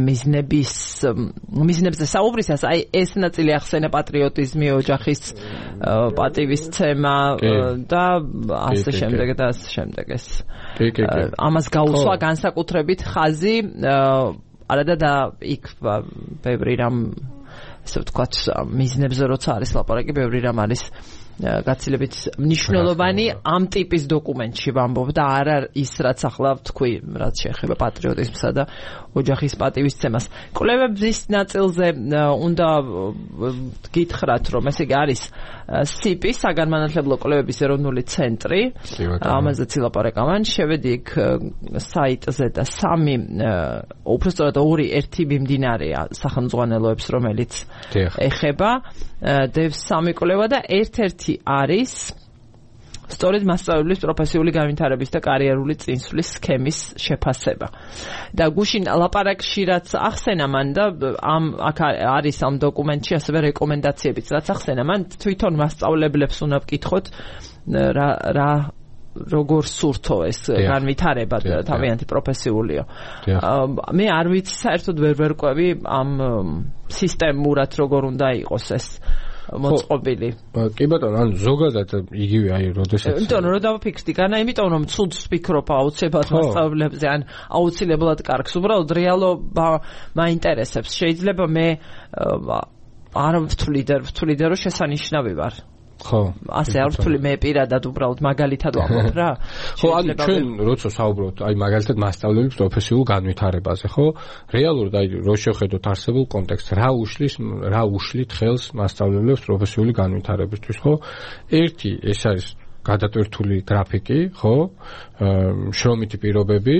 მიზნებზე საუბრისას აი ეს ნაწილი ახსენა პატრიოტიზმი ოჯახის პატივისცემა და ასე შემდეგ და ასე შემდეგ ეს ამას გაუსვა განსაკუთრებით ხაზი არა და იქ ბევრი რამ ესე ვთქვათ მიზნებზე როცა არის ლაპარაკი ბევრი რამ არის გაცილებით მნიშვნელოვანი ამ ტიპის დოკუმენტში ვამბობ და არა ის რაც ახლა ვთქვი რაც შეეხება პატრიოტიზმსა და ოჯახის პატივისცემას. კვლევების ნაწილზე უნდა გითხრათ რომ ესე იგი არის სიპი საგანმანათლებლო კვლევების ეროვნული ცენტრი ამაზეც ილაპარაკა მან შევედი იქ საიტზე და უბრალოდ ერთი მიმდინარეა სახელმძღვანელოებს რომელიც ეხება დევს სამი კვლევა და ერთ-ერთი არის სწორედ მასწავლებლის პროფესიული განვითარების და კარიერული წინსვლის სქემის შეფასება. და გუშინ ლაპარაკში რაც ახსენა მან და აქ არის ამ დოკუმენტში ასევე რეკომენდაციებიც რაც ახსენა მან თვითონ მასწავლებლებს უნდა ვკითხოთ რა როგორ სურთო ეს განვითარება თავიანთი პროფესიულია. მე არ ვიცი საერთოდ ვერ ვერკვევი ამ სისტემურად როგორ უნდა იყოს ეს მოწყობილი. კი ბატონო, ანუ ზოგადად იგივე აი როდესაც იმიტომ რომ დავაფიქსდი განა, იმიტომ რომ ცუდს ვფიქრობ აუცილებლად მასწავლებლებზე, ან აუცილებლად კარგს, უბრალოდ რეალობა მაინტერესებს. შეიძლება მე არ ვთვლიდე რომ შესანიშნავი ვარ. ხო ასე არ ვთვლი მე პირადად უბრალოდ მაგალითად ვამბობ რა ხო ანუ ჩვენ როცა საუბრობთ აი მაგალითად მასწავლებლების პროფესიულ განვითარებაზე ხო რეალურად აი რო შევხედოთ არსებულ კონტექსტს რა უშლით ხელს მასწავლებლებს პროფესიული განვითარებისთვის ხო ერთი ეს არის გადატვირთული გრაფიკი, ხო? შრომითი პირობები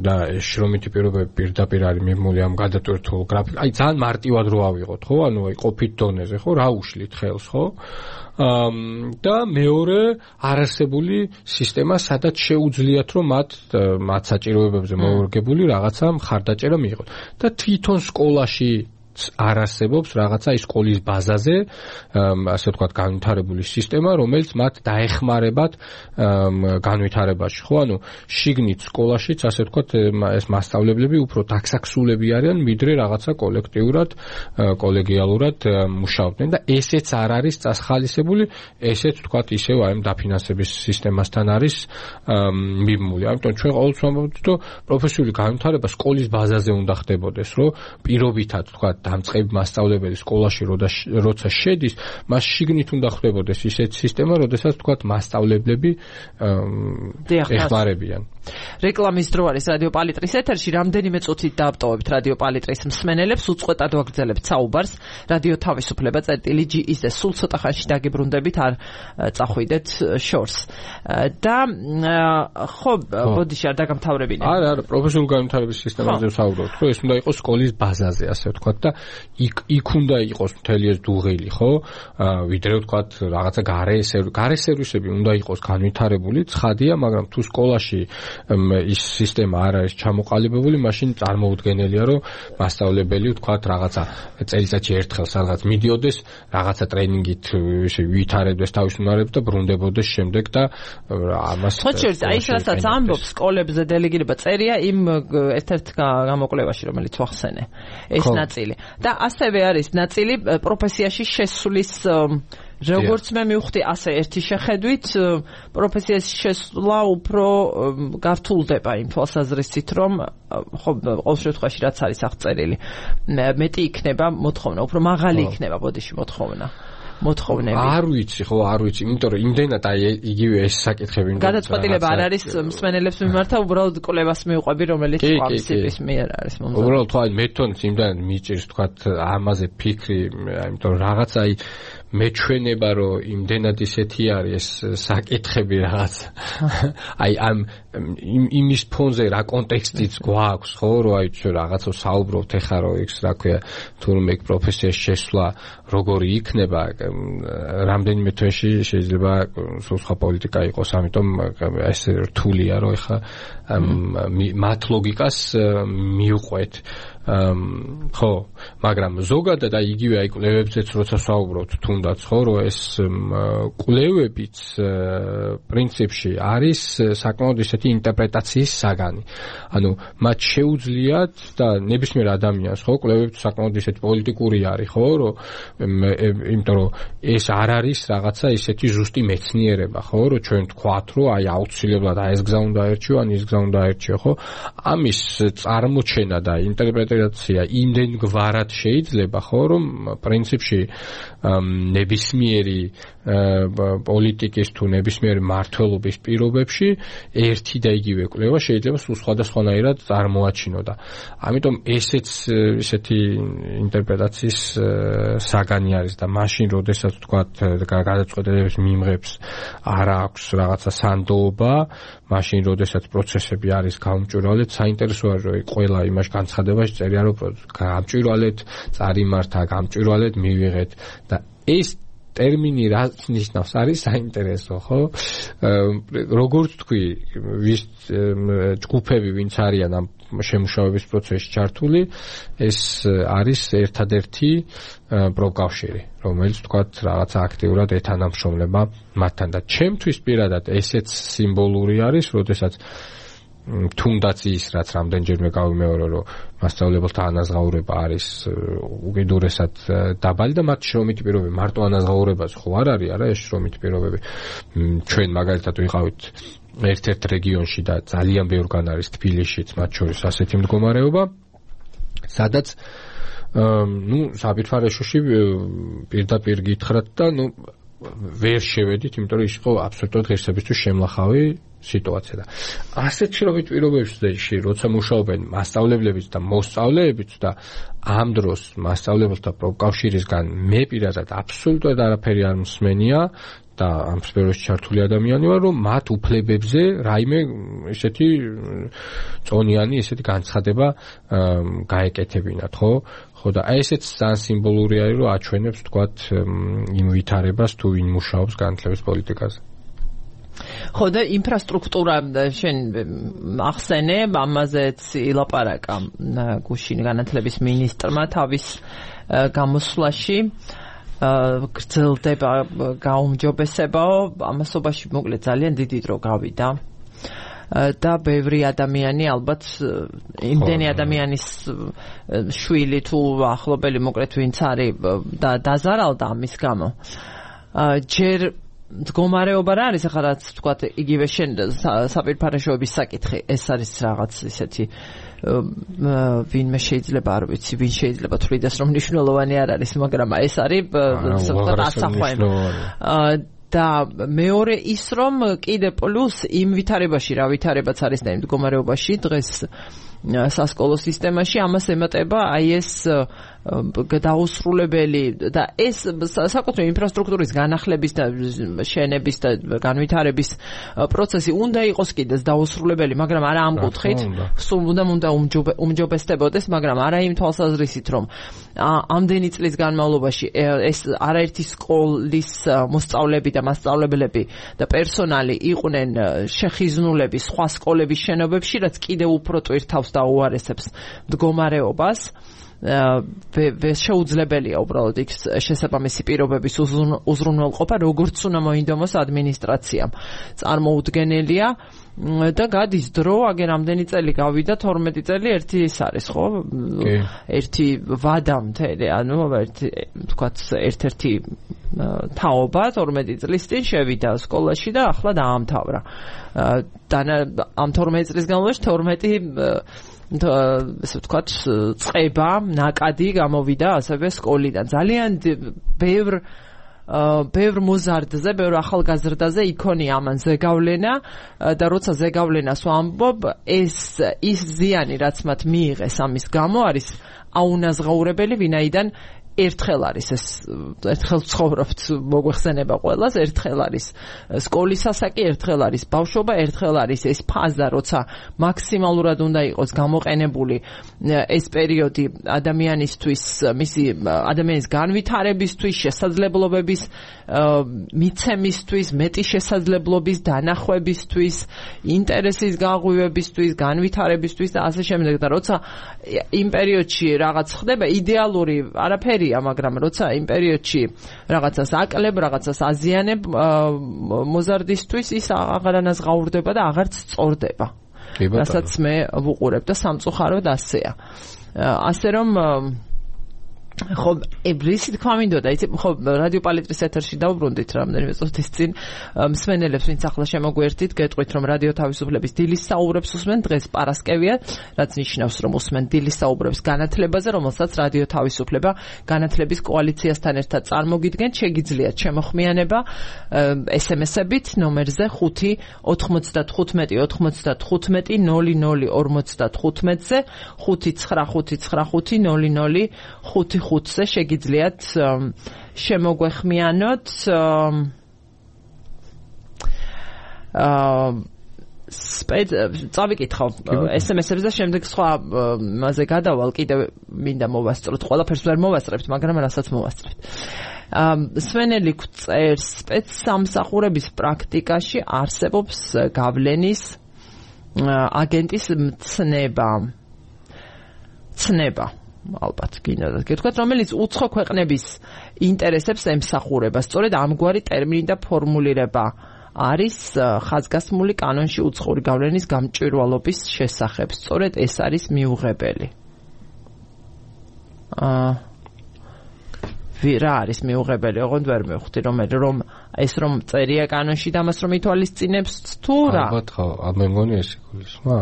და შრომითი პირობები პირდაპირ არის მიმული ამ გადატვირთულ გრაფიკ. აი ძალიან მარტივად რო ავიღოთ, ხო? ანუ აი ყოფით დონეზე, ხო? რა უშლით ხელს, ხო? და მეორე არარსებული სისტემა, სადაც შეუძლიათ რომ მათ საჭიროებებზე მოვარგებული რაღაცა მხარდაჭერა მიიღოთ. და თვითონ სკოლაში არ არსებობს რაღაცა ის სკოლის ბაზაზე, ასე ვთქვათ, განვითარებული სისტემა, რომელიც მათ დაეხმარებათ განვითარებაში, ხო? ანუ შიგნით სკოლაშიც, ასე ვთქვათ, ეს მასწავლებლები უფრო დაქსაქსულები არიან, ვიდრე რაღაცა კოლექტიურად, კოლეგიალურად მუშაობდნენ და ესეც არ არის წასხალისებული, ესეც ვთქვათ, ისევ აი დაფინანსების სისტემასთან არის მიმული. ამიტომ ჩვენ ყოველთვის ვამბობთ, რომ პროფესიული განვითარება სკოლის ბაზაზე უნდა ხდებოდეს, რომ პირობითად ვთქვათ დამწყები მასწავლებელი სკოლაში როცა შედის, მას შიგნით უნდა ხდებოდეს ისეთი სისტემა, როდესაც ვთქვათ მასწავლებლები ეხმარებიან. რეკლამის დრო არის რადიო პალიტრის ეთერში. რამდენიმე წუთით დაავტოვებთ რადიო პალიტრის მსმენელებს, უწყვეტად ვაგრძელებთ საუბარს. რადიო თავისუფლება წერტილი.gis და სულ ცოტა ხანში დაგებრუნდებით, არ წახვიდეთ შორს. და ხო, ბოდიში არ დაგამთავრებინე. არა, პროფესიული განვითარების სისტემაზე ვსაუბრობთ, რომ ეს უნდა იყოს სკოლის ბაზაზე, ასე ვთქვათ და იქ უნდა იყოს მთელი ეს დუღილი, ხო? ვიდრე ვთქვათ რაღაცა გარე სერვისები უნდა იყოს განვითარებული, ცხადია, მაგრამ თუ სკოლაში ის სისტემა არ არის ჩამოყალიბებული, მაშინ წარმოუდგენელია, რომ მასწავლებელი ვთქვათ რაღაცა წელიწადში ერთხელ სადღაც მიდიოდეს, რაღაცა ტრენინგით ვითარებდეს თავის უნარებს და ბრუნდებოდეს შემდეგ და ამას ხოჭერს აი რასაც ამბობს სკოლებზე დელეგირება წერია იმ ერთ-ერთ გამოკვლევაში, რომელიც ვახსენე. ეს ნაწილი. და ასევე არის ნაწილი პროფესიაში შესulis როგორც მე მივხვდი, ასე ერთი შეხედვით პროფესიაში შესვლა უფრო გართულდება იმ თვალსაზრისით, რომ ხო ყოველ შემთხვევაში რაც არის აღწერილი, მეტი იქნება მოთხოვნა, უფრო მაღალი იქნება ბოდიში მოთხოვნები. არ ვიცი, ხო, არ ვიცი, იმიტომ რომ იმდენად აი იგივე ეს საკითხები გადაწყვეტილება არ არის მსმენელებს მიმართა, უბრალოდ კვლევას მივყვები, რომელიც ამის მიერ არის მომზადებული. უბრალოდ ხო, აი მე თვითონ იმდენად მიჭირს თქვათ ამაზე ფიქრი, იმიტომ რომ რაღაც აი მეჩვენება, რომ იმდენად ისეთი არის ეს საკითხები რაღაც. აი ამ იმის ფონზე რა კონტექსტიც გვაქვს, ხო, რომ აი ჩვენ რაღაცა საუბრობთ ეხლა, რომ იქ რა ქვია, თურმე პროფესიაში შესვლა როგორი იქნება, რამდენიმე თვეში შეიძლება სულ სხვა პოლიტიკა იყოს, ამიტომ ეს რთულია, რომ ეხლა მათ ლოგიკას მიუყვეთ. ხო, მაგრამ ზოგადად აი იგივე აი კვლევებზეც როცა საუბრობთ, თუნდაც ხო, რომ ეს კვლევებიც პრინციპში არის საკმაოდ ისეთი ინტერპრეტაციის საგანი. ანუ მათ შეუძლიათ და ნებისმიერ ადამიანს ხო, კვლევები საკმაოდ ისეთი პოლიტიკური არის, ხო, რომ იმიტომ რომ ეს არ არის რაღაცა ისეთი ზუსტი მეცნიერება, ხო, რომ ჩვენ თქვათ, რომ აი აუცილებლად აი ეს გზა უნდა აერჩიო, ან ის გზა უნდა აერჩიო, ხო? ამის წარმოჩენა და ინტერპრეტაცია იმდენგვარად შეიძლება, ხო, რომ პრინციპში ნებისმიერი პოლიტიკის თუ ნებისმიერი მმართველობის პირობებში ერთი და იგივე კვლევა შეიძლება სულ სხვადასხვანაირად წარმოაჩინო და ამიტომ ესეც ისეთი ინტერპრეტაციის საგანი არის და მაშინ როდესაც თქვათ გადაწყვეტილების მიმღებს არ აქვს რაღაცა სანდოობა, მაშინ როდესაც პროცესები არის გაუმჭვირვალედ, საინტერესო არის რომ ყველა იმაში განცხადებაში წერია რომ გამჭვირვალედ წარიმართა, გამჭვირვალედ მივიღეთ და ეს ტერმინი რაც ნიშნავს არის საინტერესო, ხო? როგორც თქვი, ვის ჯგუფები ვინც არიან ამ შემუშავების პროცესში ჩართული, ეს არის ერთადერთი პროფკავშირი, რომელიც თქვათ რაღაცა აქტიურად ეთანამშრომლება მათთან და ჩემთვის პირადად ესეც სიმბოლური არის, როდესაც თუნდაც ის რაც რამდენჯერმე გავიმეორო, რომ მასწავლებელთა ანაზღაურება არის უკიდურესად დაბალი და მათ შრომითი პირობები მარტო ანაზღაურებაზე ხო არ არის, არა ეს შრომითი პირობები. ჩვენ მაგალითად ვიყავით ერთ-ერთ რეგიონში და ძალიან ბევრგან არის თბილისშიც მათ შორის ასეთი მდგომარეობა, სადაც საბირთვარეშოში პირდაპირ გითხრათ და ვერ შევედით, იმიტომ რომ ის იყო აბსოლუტურად ღირსებისთვის შემლახავი სიტუაცია და ასეთ შრომით პირობებში, როცა მუშაობენ მასწავლებლებიც და მოსწავლეებიც და ამ დროს მასწავლებელთა პროფკავშირისგან მე პირადად აბსოლუტურად არაფერი არ მსმენია და ამ სფეროში ჩართული ადამიანი ვარ, რომ მათ უფლებებზე რაიმე ესეთი წონიანი ესეთი განცხადება გაეკეთებინათ, ხო? ხო და აი ესეც ძალიან სიმბოლური არის, რომ აჩვენებს თქვათ იმ ვითარებას თუ ვინ მუშაობს განათლების პოლიტიკაზე. ხო და ინფრასტრუქტურა შენ ახსენე, ამაზეც ილაპარაკა გუშინ განათლების მინისტრმა თავის გამოსვლაში. გრძელდება გაუმჯობესებაო, ამასობაში მოკლედ ძალიან დიდი დრო გავიდა და ბევრი ადამიანი ალბათ იმდენი ადამიანის შვილი თუ ახლობელი მოკლედ ვინც არის დაზარალდა ამის გამო. ჯერ მდგომარეობა რა არის ახლა რაც თქვა იგივე შენ საპირფარეშოების საკითხი, ეს არის რაღაც ისეთი ვინმე შეიძლება არ ვიცი, ვინ შეიძლება თვლიდეს რომ მნიშვნელოვანი არ არის, მაგრამ ეს არის ასახვევი. და მეორე ის რომ კიდე პლუს იმ ვითარებაში რა ვითარებაც არის და იმ მდგომარეობაში დღეს სასკოლო სისტემაში ამას ემატება აი ეს დაუსრულებელი და ეს საკუთრივ ინფრასტრუქტურის განახლების და შენების და განვითარების პროცესი უნდა იყოს კიდეც დაუსრულებელი, მაგრამ არა ამ კუთხით, სულ უნდა უმჯობესდებოდეს, მაგრამ არა იმ თვალსაზრისით, რომ ამდენი წლის განმავლობაში ეს არაერთი სკოლის მოსწავლეები და მასწავლებლები და პერსონალი იყვნენ შეხიზნულები სხვა სკოლების შენობებში, რაც კიდევ უფრო ტვირთავს და უარესებს მდგომარეობას. შეუძლებელია უბრალოდ იქ შესაბამისი პირობების უზრუნველყოფა, როგორც უნდა მოინდომოს ადმინისტრაციამ. წარმოუდგენელია და გადის დრო, აგერ ამდენი წელი გავიდა, 12 წელი ერთი ის არის, ხო? ერთი ვადა მთელი, ანუ თქვათ ერთ-ერთი თაობა 12 წლის წინ შევიდა სკოლაში და ახლა დაამთავრა. ამ 12 წლის განმავლობაში 12 ესე ვთქვათ, წება, ნაკადი გამოვიდა ასევე სკოლიდან. ძალიან ბევრ მოზარდზე, ბევრ ახალგაზრდაზე იქონია ამან ზეგავლენა და როცა ზეგავლენას ვამბობ, ის ზიანი, რაც მათ მიიღეს ამის გამო, არის აუნაზღაურებელი, ვინაიდან ერთხელ არის ეს ერთხელ ცხოვრობთ მოგვეხსენება ყველას, ერთხელ არის სკოლის ასაკი, ერთხელ არის ბავშვობა, ერთხელ არის ეს ფაზა, როცა მაქსიმალურად უნდა იყოს გამოყენებული ეს პერიოდი ადამიანისთვის, მისი ადამიანის განვითარებისთვის, შესაძლებლობების მიცემისთვის, მეტი შესაძლებლობის დანახვებისთვის, ინტერესის გაღვივებისთვის, განვითარებისთვის და ასე შემდეგ. და როცა იმ პერიოდში რაღაც ხდება, იდეალური არაფერი, მაგრამ როცა იმ პერიოდში რაღაცას აკლებ, რაღაცას აზიანებ მოზარდისთვის, ის აღარანაზღაურდება და აღარც სწორდება. რასაც მე ვუყურებ და სამწუხაროდ ასეა. ასე რომ ხო, ებრისი თქვა მინდოდა, იცი, ხო, რადიო პალიტრის ეთერში დავბრუნდით რამდენიმე წუთის წინ მსმენელებს, ვინც ახლა შემოგვერთით, გეტყვით, რომ რადიო თავისუფლების დილის საუბრებს უსმენ, დღეს პარასკევია, რაც ნიშნავს, რომ უსმენ დილის საუბრებს განათლებაზე, რომელსაც რადიო თავისუფლება განათლების კოალიციასთან ერთად წარმოგიდგენთ. შეგიძლიათ შემოხმიანება SMS-ებით ნომერზე 5 95 95 00 55-ზე 59555 00 შეგიძლიათ შემოგვეხმიანოთ წავიკითხო SMS-ებზე, შემდეგ სხვა მასე გადავალ, კიდევ მინდა მოვასწროთ, ყველაფერს ვერ მოვასწრებთ, მაგრამ რასაც მოვასწრებთ. სვენელი წერს, სპეცსამსახურების პრაქტიკაში არსებობს გავლენის აგენტის ცნება. ალბათ გინდა გეთქვათ, რომელიც უცხო ქვეყნების ინტერესებს ემსახურება. სწორედ ამგვარი ტერმინი და ფორმულირება არის ხაზგასმული კანონში უცხოური გავლენის გამჭვირვალობის შესახებ. სწორედ ეს არის მიუღებელი. რა არის მიუღებელი? ოღონდ ვერ მივხვდი, რომ ეს რომ წერია კანონში და მას რომ ითვალისწინებს თუ რა? ალბათ ხო, მე მგონი ეს იგულისხმა.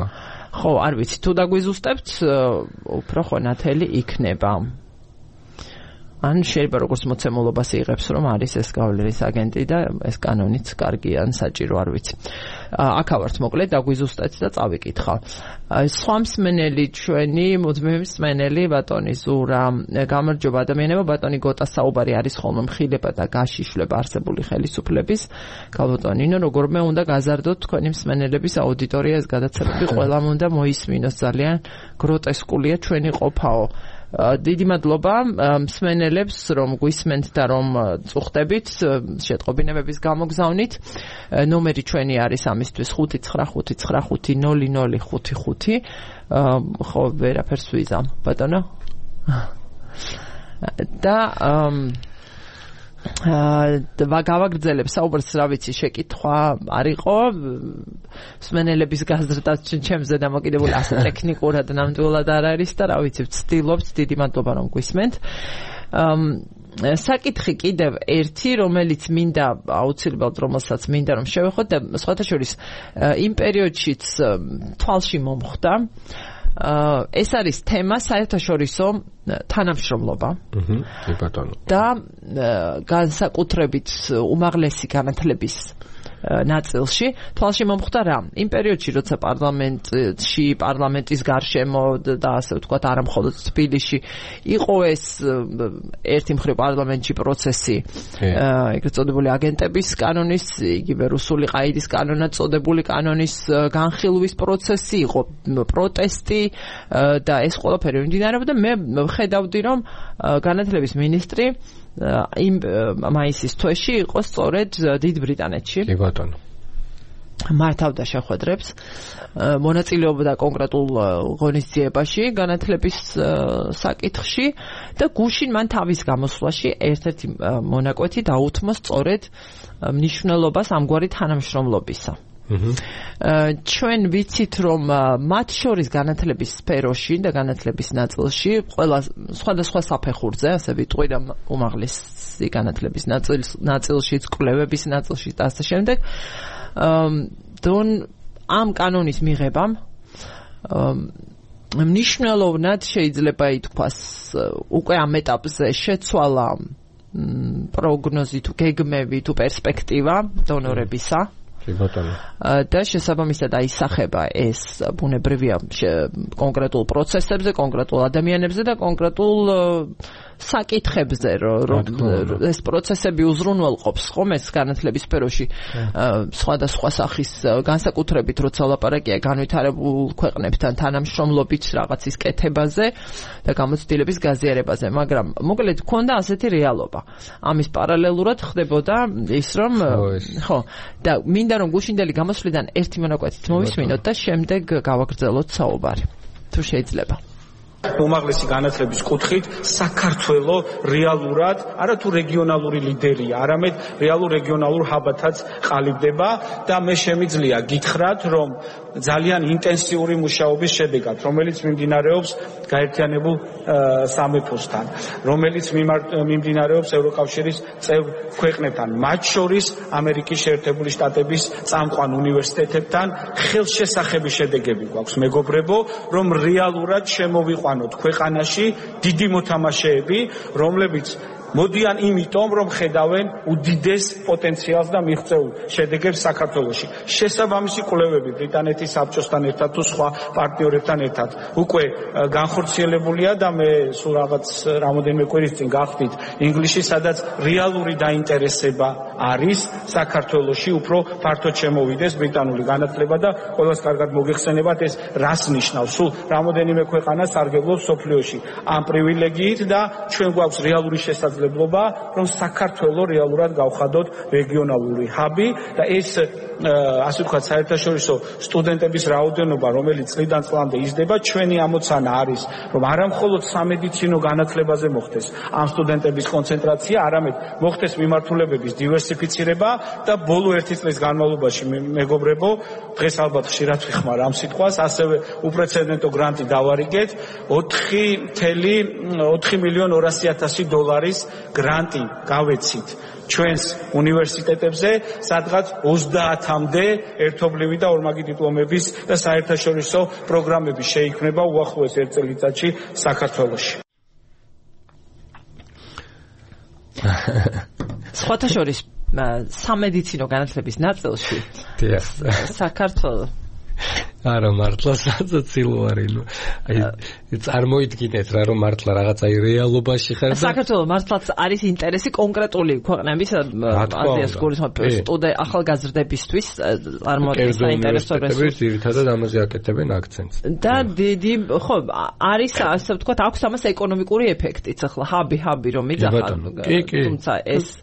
ხო, არ ვიცი, თუ დაგვიზუსტებთ, უფრო ხო ნათელი იქნება. ან შეიძლება როგორც მოცემულობას იღებს, რომ არის ეს გავლენის აგენტი და ეს კანონიც კარგი ან საჭირო არ ვიცი. აქ ავართ მოკლედ დაგვიზუსტეთ და წავიკითხავ. სხვა მსმენელი ჩვენი მუდმივი მსმენელი ბატონი ზურა, გამარჯობა ადამიანებო, ბატონი გოტა საუბარი არის ხოლმე მხილება და გაშიშვლება არსებული ხელისუფლების. გალბატონინო, როგორმე უნდა გაზარდოთ თქვენი მსმენელების აუდიტორია, ეს გადაცემები ყველამ უნდა მოისმინოს, ძალიან გროტესკულია ჩვენი ყოფაო. დიდი მადლობა მსმენელებს, რომ გვისმენთ და რომ წუხდებით შეტყობინებების გამოგზავნით. ნომერი ჩვენი არის ამისთვის 595590055. ხო, ვერაფერს ვიზამ, ბატონო. და გავაგრძელებ საუბარს, რა ვიცი, შეკითხვა არ იყო მსმენელების გაზრდაც ჩემზე დამოკიდებული, ასე ტექნიკურად ნამდვილად არ არის და რა ვიცი, ვცდილობთ, დიდი მადლობა რომ გვისმენთ. საკითხი კიდევ ერთი, რომელიც მინდა აუცილებლად, რომელსაც მინდა რომ შევეხოთ და სხვათა შორის იმ პერიოდშიც თვალში მომხვდა. ეს არის თემა საერთაშორისო თანამშრომლობა. და განსაკუთრებით უმაღლესი განათლების ნაწილში თვალში მომხვდა რა? იმ პერიოდში, როცა პარლამენტის გარშემო და ასე ვთქვათ, არა მხოლოდ თბილისში იყო ეს ერთი მხრივ პარლამენტში პროცესი, ეგრეთ წოდებული აგენტების კანონის, იგივე რუსული ყაიდის კანონად წოდებული კანონის განხილვის პროცესი, იყო პროტესტი და ეს ყველაფერი მიმდინარეობდა. მე ვხედავდი, რომ განათლების მინისტრი იმ მაისის თვეში იყო სწორედ დიდ ბრიტანეთში. კი ბატონო. მართავდა შეხვედრებს, მონაწილეობდა კონკრეტულ ღონისძიებაში განათლების საკითხში და გუშინ მან თავის გამოსვლაში ერთ-ერთი მონაკვეთი დაუთმო სწორედ მნიშვნელობას ამგვარი თანამშრომლობისა. ჩვენ ვიცით, რომ მათ შორის განათლების სფეროში და განათლების ნაწილში ყველა სხვადასხვა საფეხურზე, ასე ვიტყვი, და უმაღლესი განათლების ნაწილშიც, კვლევების ნაწილში და ასე შემდეგ, ამ კანონის მიღებამ მნიშვნელოვნად შეიძლება ითქვას, უკვე ამ ეტაპზე შეცვალა პროგნოზი თუ გეგმები თუ პერსპექტივა დონორებისა. და შესაბამისად აისახება ეს ბუნებრივია კონკრეტულ პროცესებზე, კონკრეტულ ადამიანებზე და კონკრეტულ საკითხებზე, რომ ეს პროცესები უზრუნველყოფს ხომ ეს განათლების სფეროში სხვადასხვა სახის განსაკუთრებით, როცა ლაპარაკია განვითარებულ ქვეყნებთან თანამშრომლობით რაღაცის კეთებაზე და გამოცდილების გაზიარებაზე, მაგრამ მოკლედ ქონდა ასეთი რეალობა. ამის პარალელურად ხდებოდა ის, რომ ხო, და მინდა რომ გუშინდელი გამოსვლიდან ერთი მონაკვეთით მოვისმინოთ და შემდეგ გავაგრძელოთ საუბარი, თუ შეიძლება. უმაღლესი განათლების კუთხით საქართველო რეალურად არათუ რეგიონალური ლიდერია, არამედ რეალურ რეგიონალურ ჰაბათაც ყალიბდება და მე შემიძლია გითხრათ, რომ ძალიან ინტენსიური მუშაობის შედეგად, რომელიც მიმდინარეობს გაერთიანებულ სამეფოსთან, რომელიც მიმდინარეობს ევროკავშირის წევრ ქვეყნებთან, მათ შორის ამერიკის შეერთებული შტატების წამყვან უნივერსიტეტებთან, ხელშესახები შედეგები გვაქვს, მეგობრებო, რომ რეალურად შემოვიყვანოთ ქვეყანაში დიდი მოთამაშეები, რომლებიც მოდიან იმიტომ, რომ ხედავენ უდიდეს პოტენციალს და მიღწეულ შედეგებს საქართველოში. შესაბამისი კვლევები ბრიტანეთის საბჭოსთან ერთად თუ სხვა პარტნიორებთან ერთად უკვე განხორციელებულია და მე სულ რაღაც რამოდენიმე კვირის წინ გავხდით ინგლისში, სადაც რეალური დაინტერესება არის საქართველოში უფრო ფართოდ შემოვიდეს ბრიტანული განათლება და ყველას კარგად მოგეხსენებათ ეს რას ნიშნავს. სულ რამოდენიმე ქვეყანა სარგებლობს მსოფლიოში ამ პრივილეგიით და ჩვენ გვაქვს რეალური შესაძლებლობა, რომ საქართველო რეალურად გავხადოთ რეგიონალური ჰაბი და ეს ასე ვთქვათ საერთაშორისო სტუდენტების რაოდენობა, რომელიც წლიდან წლამდე იზრდება, ჩვენი ამოცანა არის, რომ არა მხოლოდ სამედიცინო განათლებაზე მოხდეს ამ სტუდენტების კონცენტრაცია, არამედ მოხდეს მიმართულებების დივერსიფიცირება და ბოლო ერთი წლის განმავლობაში, მეგობრებო, დღეს ალბათ ხშირად ვიხმარ ამ სიტყვას, ასევე უპრეცედენტო გრანტი დავარიგეთ 4,200,000 დოლარის გრანტი გავეცით ჩვენს უნივერსიტეტებზე, სადღაც 30-მდე ერთობლივი და ორმაგი დიპლომების და საერთაშორისო პროგრამები შეიქმნება უახლოეს ერთ წელიწადში საქართველოში. სხვათა შორის სამედიცინო განათლების ნაწილში საქართველოს არა მართლა საცილოარინო აი წარმოიდგინეთ რა რომ მართლა რაღაც აი რეალობაში ხარ და საქართველოს მართლაც არის ინტერესი კონკრეტული ქვეყნების აზიას გულისხმობ ახალგაზრდებისთვის წარმოადგენს საინტერესო რესურსი ძირითადად ამაზე აკეთებენ აქცენტს და დიდი ხო არის ასე ვთქვათ აქვს ამას ეკონომიკური ეფექტიც ახლა ჰაბი რომ იძახა თუმცა ეს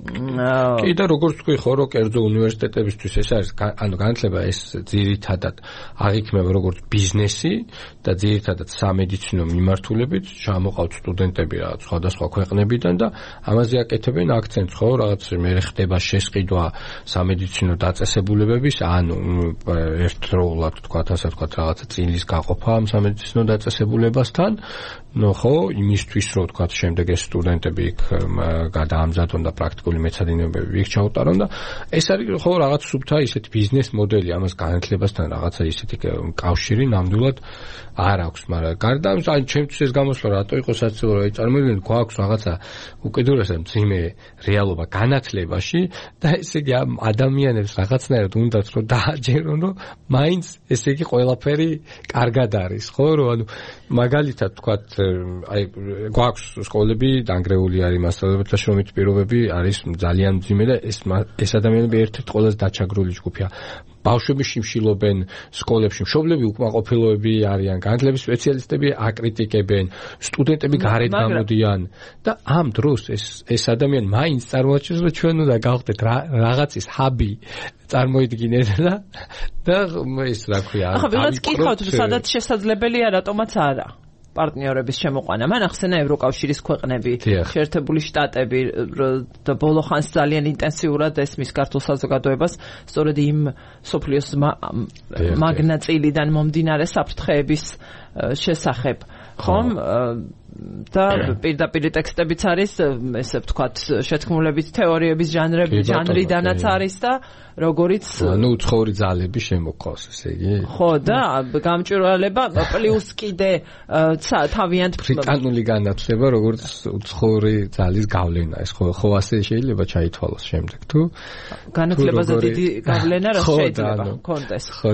კი და როგორც თქვი ხო რომ კერძო უნივერსიტეტებისთვის ეს არის ანუ განათლება ეს ძირითადად აღიქმება როგორც ბიზნესი და ძირითადად სამედიცინო მიმართულებით ჩამოყავთ სტუდენტები რაღაც სხვადასხვა ქვეყნებიდან და ამაზე აკეთებენ აქცენტს ხო რაღაც მე ხდება შესყიდვა სამედიცინო დაწესებულებების ანუ ერთდროულად თქვა ასე თქვა რაღაცა წილის გაყოფა ამ სამედიცინო დაწესებულებასთან ნუ ხო იმისთვის რომ თქვა შემდეგ ეს სტუდენტები იქ გადაამზადონ და პრაქტიკული მეცადინეობები იქ ჩაუტარონ და ეს არის ხო რაღაც სუბთა ისეთი ბიზნეს მოდელი ამას განათლებასთან რაღაცა ისეთი კავშირი ნამდვილად არ აქვს მაგრამ გარდა ამისა ან ჩემთვის ეს გამოსვლა რატო იყო საცილო რომ წარმოიდგინეთ გვაქვს რაღაცა უკიდურესად მძიმე რეალობა განათლებაში და ესე იგი ამ ადამიანებს რაღაცნაირად უნდათ რომ დააჯერონ რომ მაინც ესე იგი ყველაფერი კარგად არის ხო რომ ანუ მაგალითად თქვათ აი გვაქვს სკოლები დანგრეული არის მასწავლებელთა შრომით პირობები არის ძალიან მძიმე და ეს ადამიანები ერთ-ერთი ყველაზე დაჩაგრული ჯგუფია ბავშვები შიმშილობენ სკოლებში მშობლები უკმაყოფილოები არიან განათლების სპეციალისტები აკრიტიკებენ სტუდენტები გარეთ გამოდიან და ამ დროს ეს ადამიანი მაინც წარმოაჩენს რომ ჩვენ უნდა გავხდეთ რაღაცის ჰაბი წარმოიდგინეთ და ეს რა ქვია ახლა ვიღაც კითხავთ სადაც შესაძლებელია რატომაც არა პარტნიორების შემოყვანა. მან ახსენა ევროკავშირის ქვეყნები, შეერთებული შტატები და ბოლო ხანს ძალიან ინტენსიურად ესმის ქართულ საზოგადოებას, სწორედ იმ სოფლიოს მაგნაწილიდან მომდინარე საფრთხეების შესახებ. ხომ? და პირდაპირ ტექსტებიც არის, ესე ვთქვათ, შეთქმულების თეორიების ჟანრიდანაც არის და როგორიც ნუ უცხოური ძალები შემოყავს, ესე იგი. ხო, და გამჭვირვალება პლუს კიდე თავიანთ ბრიტანული განათლება, როგორც უცხოური ძალის გავლენა, ეს ხო ასე შეიძლება ჩაითვალოს შემდეგ, თუ განათლებაზე დიდი გავლენა რა შეიძლება კონტეს. ხო,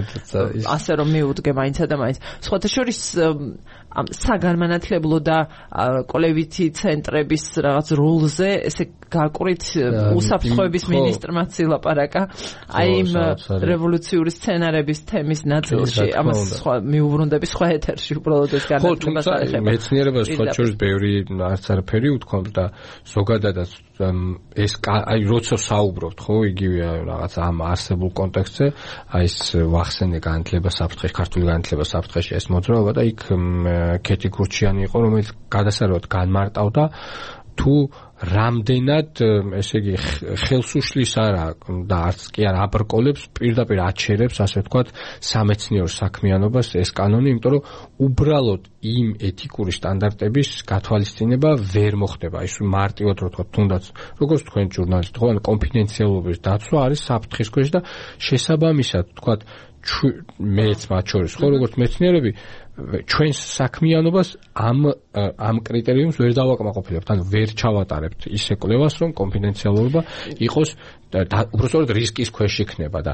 ასე რომ მიუდგე მაინცა და მაინც. სხვათა შორის ამ საგანმანათლებლო და კოლევითი ცენტრების რაღაც როლზე ესე გაკვირით უსაფრთხოების მინისტრმაც ილაპარაკა აი იმ რევოლუციური სცენარების თემის ნაწილში ამას სხვა მიუბრუნდები სხვა ეთერში უბრალოდ ეს განათლებას არ ეხება მეცნიერებას სხვა შორის ბევრი არც არაფერი უთქვამთ და ზოგადადაც ეს აი როცა საუბრობთ ხო იგივე რაღაც ამ არსებულ კონტექსტზე აი ეს ვახსენე განათლება საფრთხეში ქართული განათლება საფრთხეში ეს მოძრაობა და იქ კეთი გურჩიანი იყო რომელიც გადასარევად განმარტავდა თუ რამდენად ესე იგი ხელს უშლის არა და არც კი არ აბრკოლებს პირდაპირ აჩერებს ასე ვთქვათ სამეცნიერო საქმიანობას ეს კანონი იმიტომ რომ უბრალოდ იმ ეთიკური სტანდარტების გათვალისწინება ვერ მოხდება ის მარტივად რო ვთქვათ თუნდაც როგორც თქვენ ჟურნალისტი ხო კონფიდენციალობის დაცვა არის საფრთხის ქვეშ და შესაბამისად ვთქვათ მეც მათ შორის ხო როგორც მეცნიერები ჩვენს საქმიანობას ამ კრიტერიუმს ვერ დავაკმაყოფილებთ, ანუ ვერ ჩავატარებთ ისე კვლევას, რომ კონფიდენციალურობა იყოს უბრალოდ რისკის ქვეშ იქნება და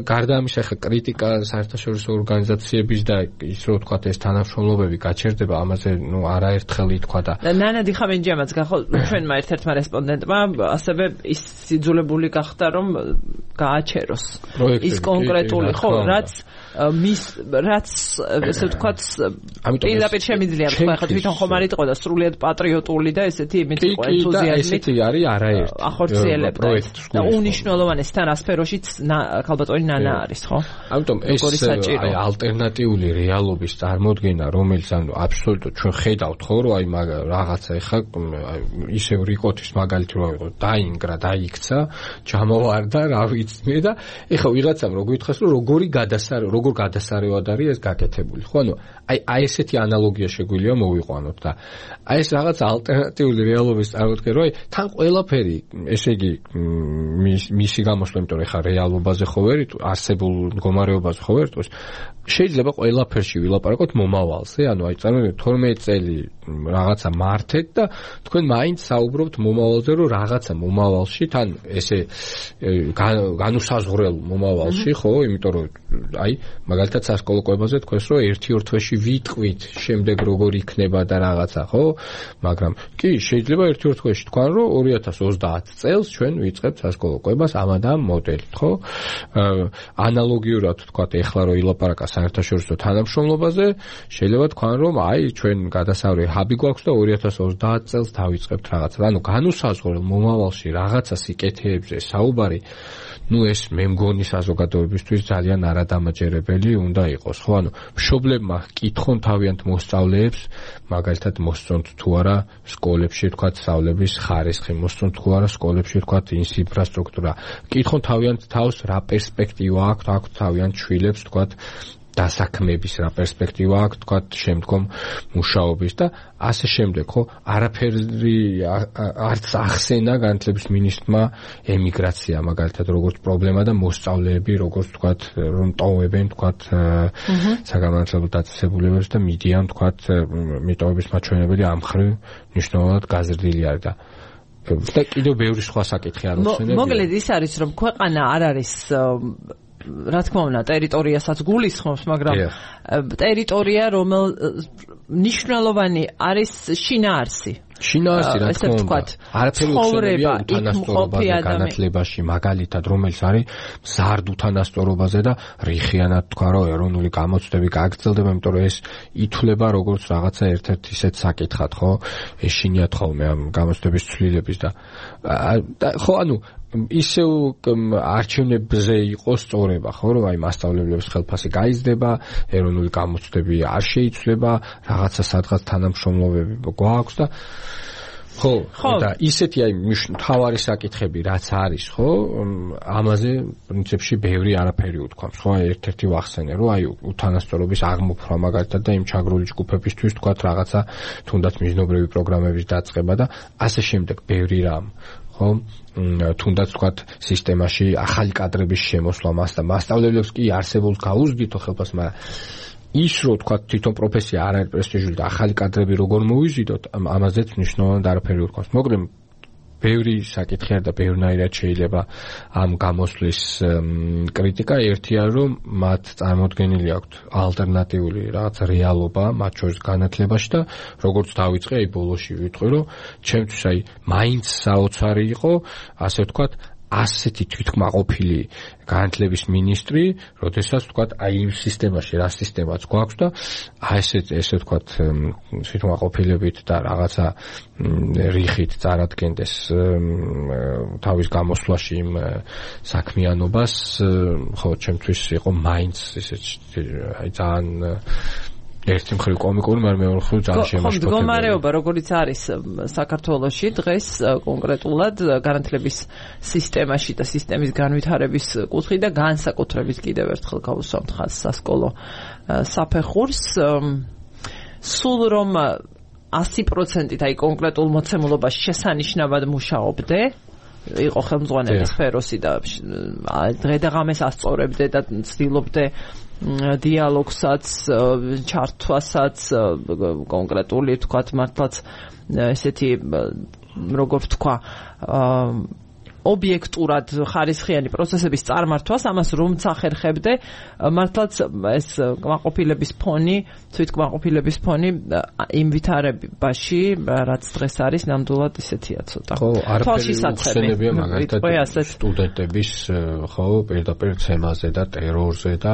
გარდა ამისა ხა კრიტიკა საერთაშორისო ორგანიზაციების და ის რო ვთქვათ ეს თანამშრომლობები გაჩერდება ამაზე ნუ არაერთხელ ითქვა და ნანადი ხამენჯიამაც გახო ჩვენმა ერთ-ერთმა რესპონდენტმა ასევე ის სიძულებული გახდა რომ გააჩეროს ის კონკრეტული ხო რაც ესე ვთქვათ პირდაპირ შემიძლია თქვა ხა თვითონ ხომ არ იყო და სრულიად პატრიოტული და ესეთი იმით იყო ენთუზიაზმით ესეთი არის არაერთი ახორციელებდა და უნიშნელოვანეს თან ასფეროშიც ქალბატონი ნანა არის ხო ამიტომ ეს აი ალტერნატიული რეალობის წარმოდგენა რომელიც ანუ აბსოლუტურად ჩვენ ხედავთ ხო რომ აი რაღაცა ეხა ისევ რიკოთის მაგალითი რო იყო დაინგრა დაიქცა ჩამოვარდა რა ვიცი მე და ეხა ვიღაცამ რო გითხეს რომ როგორ გადასარევად არის ეს გაკეთებული ხო ანუ აი ესეთი ანალოგია შეგვიძლია მოვიყვანოთ და აი ეს რაღაც ალტერნატიული რეალობის წარმოდგენა რომ აი თან ყველაფერი ესე იგი მისი გამოსვლა იმიტომ რომ ეხა რეალობაზე ხო ვერ არსებულ მდგომარეობაზე ხო ვერ შეიძლება ყველაფერში ვილაპარაკოთ მომავალზე, ანუ აი წარმოვიდგინეთ 12 წელი რაღაცა მართეთ და თქვენ მაინც საუბრობთ მომავალზე, რომ რაღაცა მომავალში თან ესე განუსაზღვრელ მომავალში, ხო, იმიტომ რომ აი მაგალითად სასკოლო კვებაზე თქვენს რომ 1-2 თვეში ვიტყვით, შემდეგ როგორ იქნება და რაღაცა, ხო? მაგრამ კი, შეიძლება 1-2 თვეში თქვან რომ 2030 წელს ჩვენ ვიწყებთ სასკოლო კვებას ამ და ამ მოდელით, ხო? ანალოგიურად თქვათ ეხლა რომ ილაპარაკა საერთაშორისო თანამშრომლობაზე, შეიძლება თქვან რომ აი ჩვენ გადასავალი ჰაბი გვაქვს და 2030 წელს დავიწყებთ რაღაცა. ანუ განუსაზღვრელ მომავალში რაღაცა სიკეთეებზე საუბარი, ну ეს მე მგონი საზოგადოებისთვის ძალიან არადამაჯერებელი უნდა იყოს, ხო? ანუ მშობლებმა კითხონ თავიანთ მოსწავლეებს, მაგალითად მოსწონთ თუ არა სკოლებში თქვათ სწავლების ხარისხი, მოსწონთ თუ არა სკოლებში თქვათ ინფრასტრუქტურა. კითხონ თავიანთ თავს რა პერსპექტივა აქვს თავიანთ შვილებს თქვათ დასაქმების რა პერსპექტივა აქვს თქვათ შემდგომ მუშაობის და ასე შემდეგ, ხო? არაფერი არც ახსენა განათლების მინისტრმა ემიგრაცია მაგალითად როგორც პრობლემა და მოსწავლეები როგორც თქვათ რომ ტოვებენ თქვათ საგანმანათლებლო დაწესებულებებს და მიდიან თქვათ მიტოვების მაჩვენებელი ამ მხრივ მნიშვნელოვნად გაზრდილი არის და კიდევ ბევრი სხვა საკითხი არ უხსენებია. მოკლედ ის არის რომ ქვეყანა არ არის რა თქმა უნდა ტერიტორიასაც გულისხმობს, მაგრამ ტერიტორია რომელ მნიშვნელოვანი არის შინაარსი. შინაარსი რა თქმა უნდა. არაფერი უხსენებია უთანასწორობაზე განათლებაში, მაგალითად რომელიც არის მზარდ უთანასწორობაზე და რიხიანად თქვა რომ ეროვნული გამოცდები გაგრძელდება, იმიტომ რომ ეს ითვლება როგორც რაღაცა ერთ-ერთ ისეთ საკითხად, ხო? ეშინიათ ხოლმე ამ გამოცდების ცვლილების და ხო, ანუ ისევ არჩევნებზე იყოს სწორება, ხო, რომ აი მასწავლებლების ხელფასი გაიზრდება, ეროვნული გამოცდები არ შეიცვლება, რაღაცა სადღაც თანამშრომლობები გვაქვს და ხო, და ისეთი აი მთავარი საკითხები რაც არის, ხო, ამაზე პრინციპში ბევრი არაფერი უთქვამს, ხო, ერთ-ერთი ვახსენე, რომ აი უთანასწორობის აღმოფხვრა მაგალითად და იმ ჩაგრული ჯგუფებისთვის თქვათ რაღაცა თუნდაც მიზნობრივი პროგრამების დაწყება და ასე შემდეგ ბევრი რამ, ხო, თუნდაც თქვათ სისტემაში ახალი კადრების შემოსვლა მასწავლებლებს კი არსებობს გაუზრდითო ხელფასს, მაგრამ ის რო თქვათ თვითონ პროფესია არ არის პრესტიჟული და ახალი კადრები როგორ მოვიზიდოთ, ამაზეც მნიშვნელოვნად არაფერი უთქვამს. მაგრამ ბევრი საკითხი და ბევრნაირად შეიძლება ამ გამოსვლის კრიტიკა. ერთია რომ მათ წარმოდგენილი აქვთ ალტერნატიული რაღაც რეალობა მათ შორის განათლებაში და როგორც დავიწყე აი ბოლოში ვიტყვი რომ ჩემთვის აი მაინც საოცარი იყო ასე ვთქვათ ასეთი თვითკმაყოფილი განათლების მინისტრი, როდესაც ვთქვათ აი იმ სისტემაში რა სისტემაც გვაქვს და ესე ვთქვათ თვითკმაყოფილებით და რაღაცა რიხით წარადგენდეს თავის გამოსვლაში იმ საქმიანობას, ხო, ჩემთვის იყო მაინც ესე აი ძალიან ერთი მხრივ კომიკური, მაგრამ მეორე მხრივ ძალიან შემაშფოთებელი. ხო, მდგომარეობა როგორიც არის საქართველოში დღეს კონკრეტულად განათლების სისტემაში და სისტემის განვითარების კუთხით და განსაკუთრებით კიდევ ერთხელ გავუსვამთ ხაზს სასკოლო საფეხურს, სულ რომ 100%-ით აი კონკრეტულ მოცემულობაში შესანიშნავად მუშაობდე, იყო ხელმძღვანელი სფეროსი და დღე და ღამეს ასწორებდე და ცდილობდე დიალოგსაც, ჩართვასაც, კონკრეტული თქვათ მართლაც ესეთი როგორ ვთქვა ობიექტურად ხარისხიანი პროცესების წარმართვას, ამას რომც ახერხებდე, მართლაც ეს კმაყოფილების ფონი, თვითკმაყოფილების ფონი იმ ვითარებაში, რაც დღეს არის, ნამდვილად ისეთია ცოტა. ხო, არაფერი უხსენებია მაგალითად სტუდენტების, ხო, პირდაპირ ცემაზე და ტერორზე და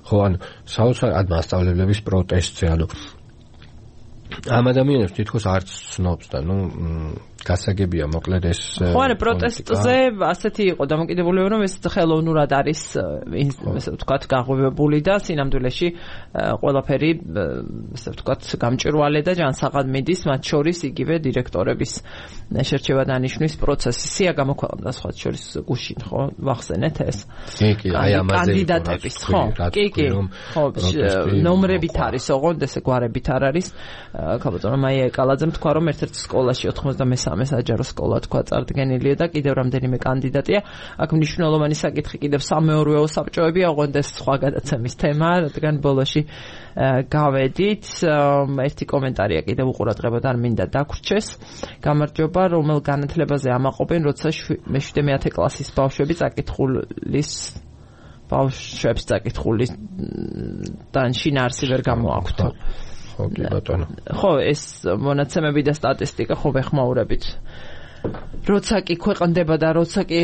ხო, ანუ საოცარ მასწავლებლების პროტესტზე, ანუ ამ ადამიანებს თითქოს არც ცნობს და ნუ გასაგებია მოკლედ ეს ხო არა პროტესტზე ასეთი იყო დამოკიდებულება რომ ეს ხელოვნურად არის ესე ვთქვათ გაღვივებული და სინამდვილეში ყველაფერი ესე ვთქვათ გამჭვირვალე და ჯანსაღად მიდის მათ შორის იგივე დირექტორების შერჩევა დანიშვნის პროცესი სია გამოქვეყნდა სხვა შორის გუშინ ხო ვახსენეთ ეს კი აი ამაზე კანდიდატების ხო კი ხო ნომრებით არის ოღონდ ესე გვარებით არ არის ქაბატონო მაია ეკალაძემ თქვა რომ ერთ-ერთ სკოლაში 93 მესამე საჯარო სკოლა თქვა წარდგენილია და კიდევ რამდენიმე კანდიდატია. აქ მნიშვნელოვანი საკითხი კიდევ სამეურვეო საბჭოები აღვენდეს სხვა გადაცემის თემა, რადგან ბოლოში გავედით. ერთი კომენტარია კიდევ უყურადღებოდ არ მინდა დაგვრჩეს. გამარჯობა, რომელ განათლებაზე ამაყობენ, როცა მე-7-10 კლასის ბავშვები ბავშვებს წაკითხulis შინაარსი ვერ გამოაქვთ. ხო, კი ბატონო. ხო, ეს მონაცემები და სტატისტიკა ხო ვეხმაურებით. როცა კი ქვეყნდება და როცა კი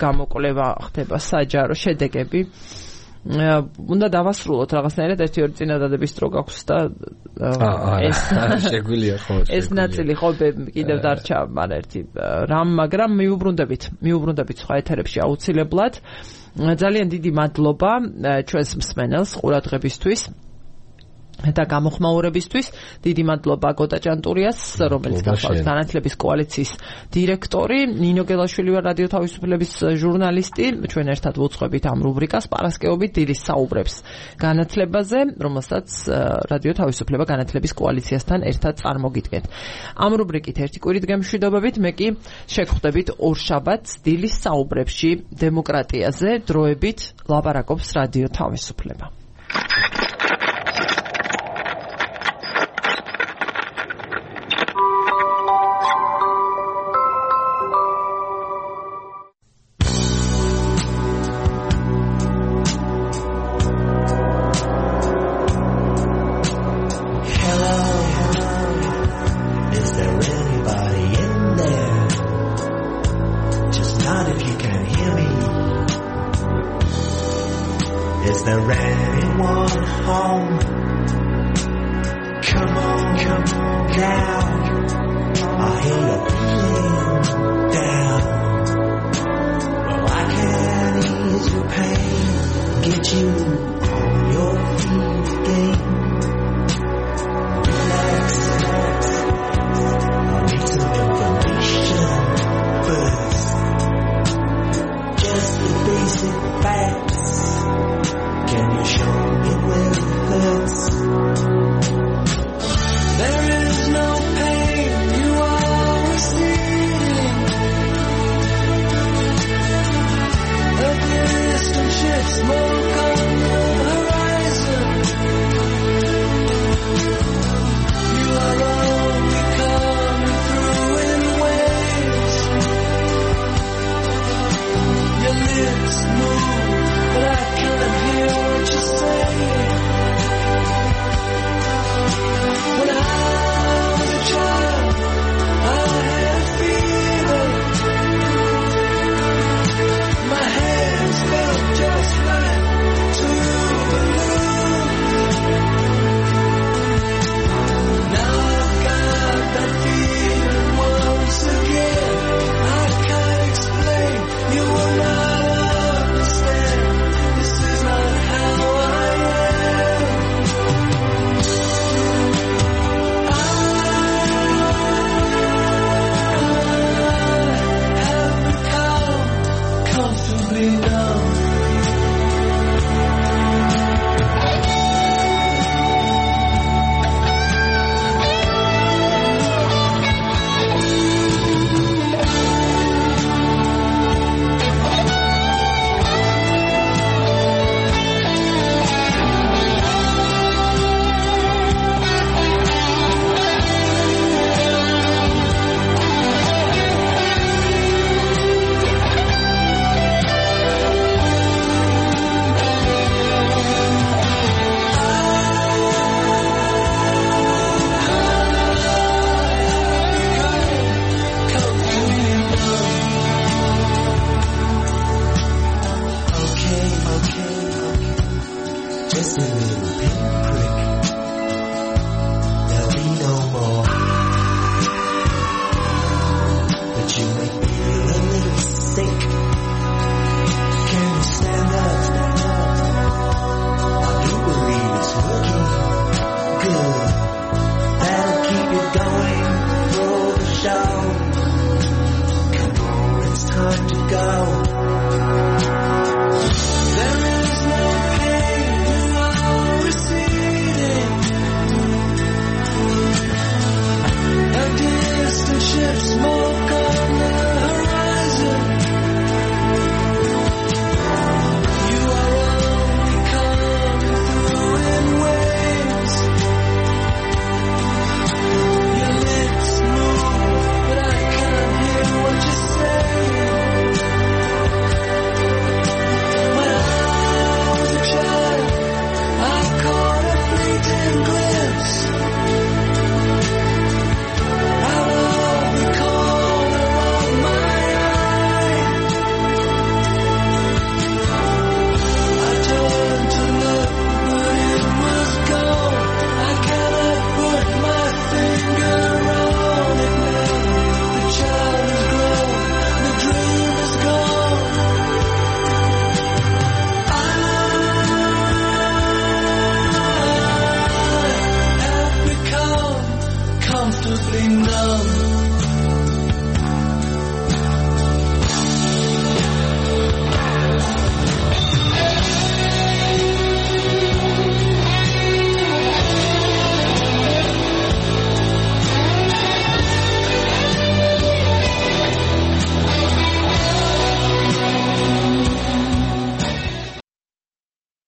გამოკვლევა ხდება საჯარო შედეგები, უნდა დავასრულოთ რაღაცნაირად 1-2 წინადადების დრო გაქვს და ეს შეგვიძლია ხო ეს ნაწილი ხო კიდევ დარჩა ერთი რამ, მაგრამ მიუბრუნდებით სხვა ეთერებში აუცილებლად. ძალიან დიდი მადლობა ჩვენს მსმენელს ყურადღებისთვის და გამოხმაურებისთვის. დიდი მადლობა გოტა ჭანტურიას, რომელიც გახლავთ განათლების კოალიციის დირექტორი, ნინო გელაშვილი ვარ რადიო თავისუფლების ჟურნალისტი. ჩვენ ერთად ვუძღვებით ამ რუბრიკას პარასკევობით დილის საუბრებს განათლებაზე, რომელსაც რადიო თავისუფლება განათლების კოალიციასთან ერთად წარმოგიდგენთ. ამ რუბრიკით ერთი კვირით გემშვიდობებით, მე კი შეგხვდებით ორშაბათს დილის საუბრებში დემოკრატიაზე. დროებით ლაპარაკობს რადიო თავისუფლება. Just a little pinprick.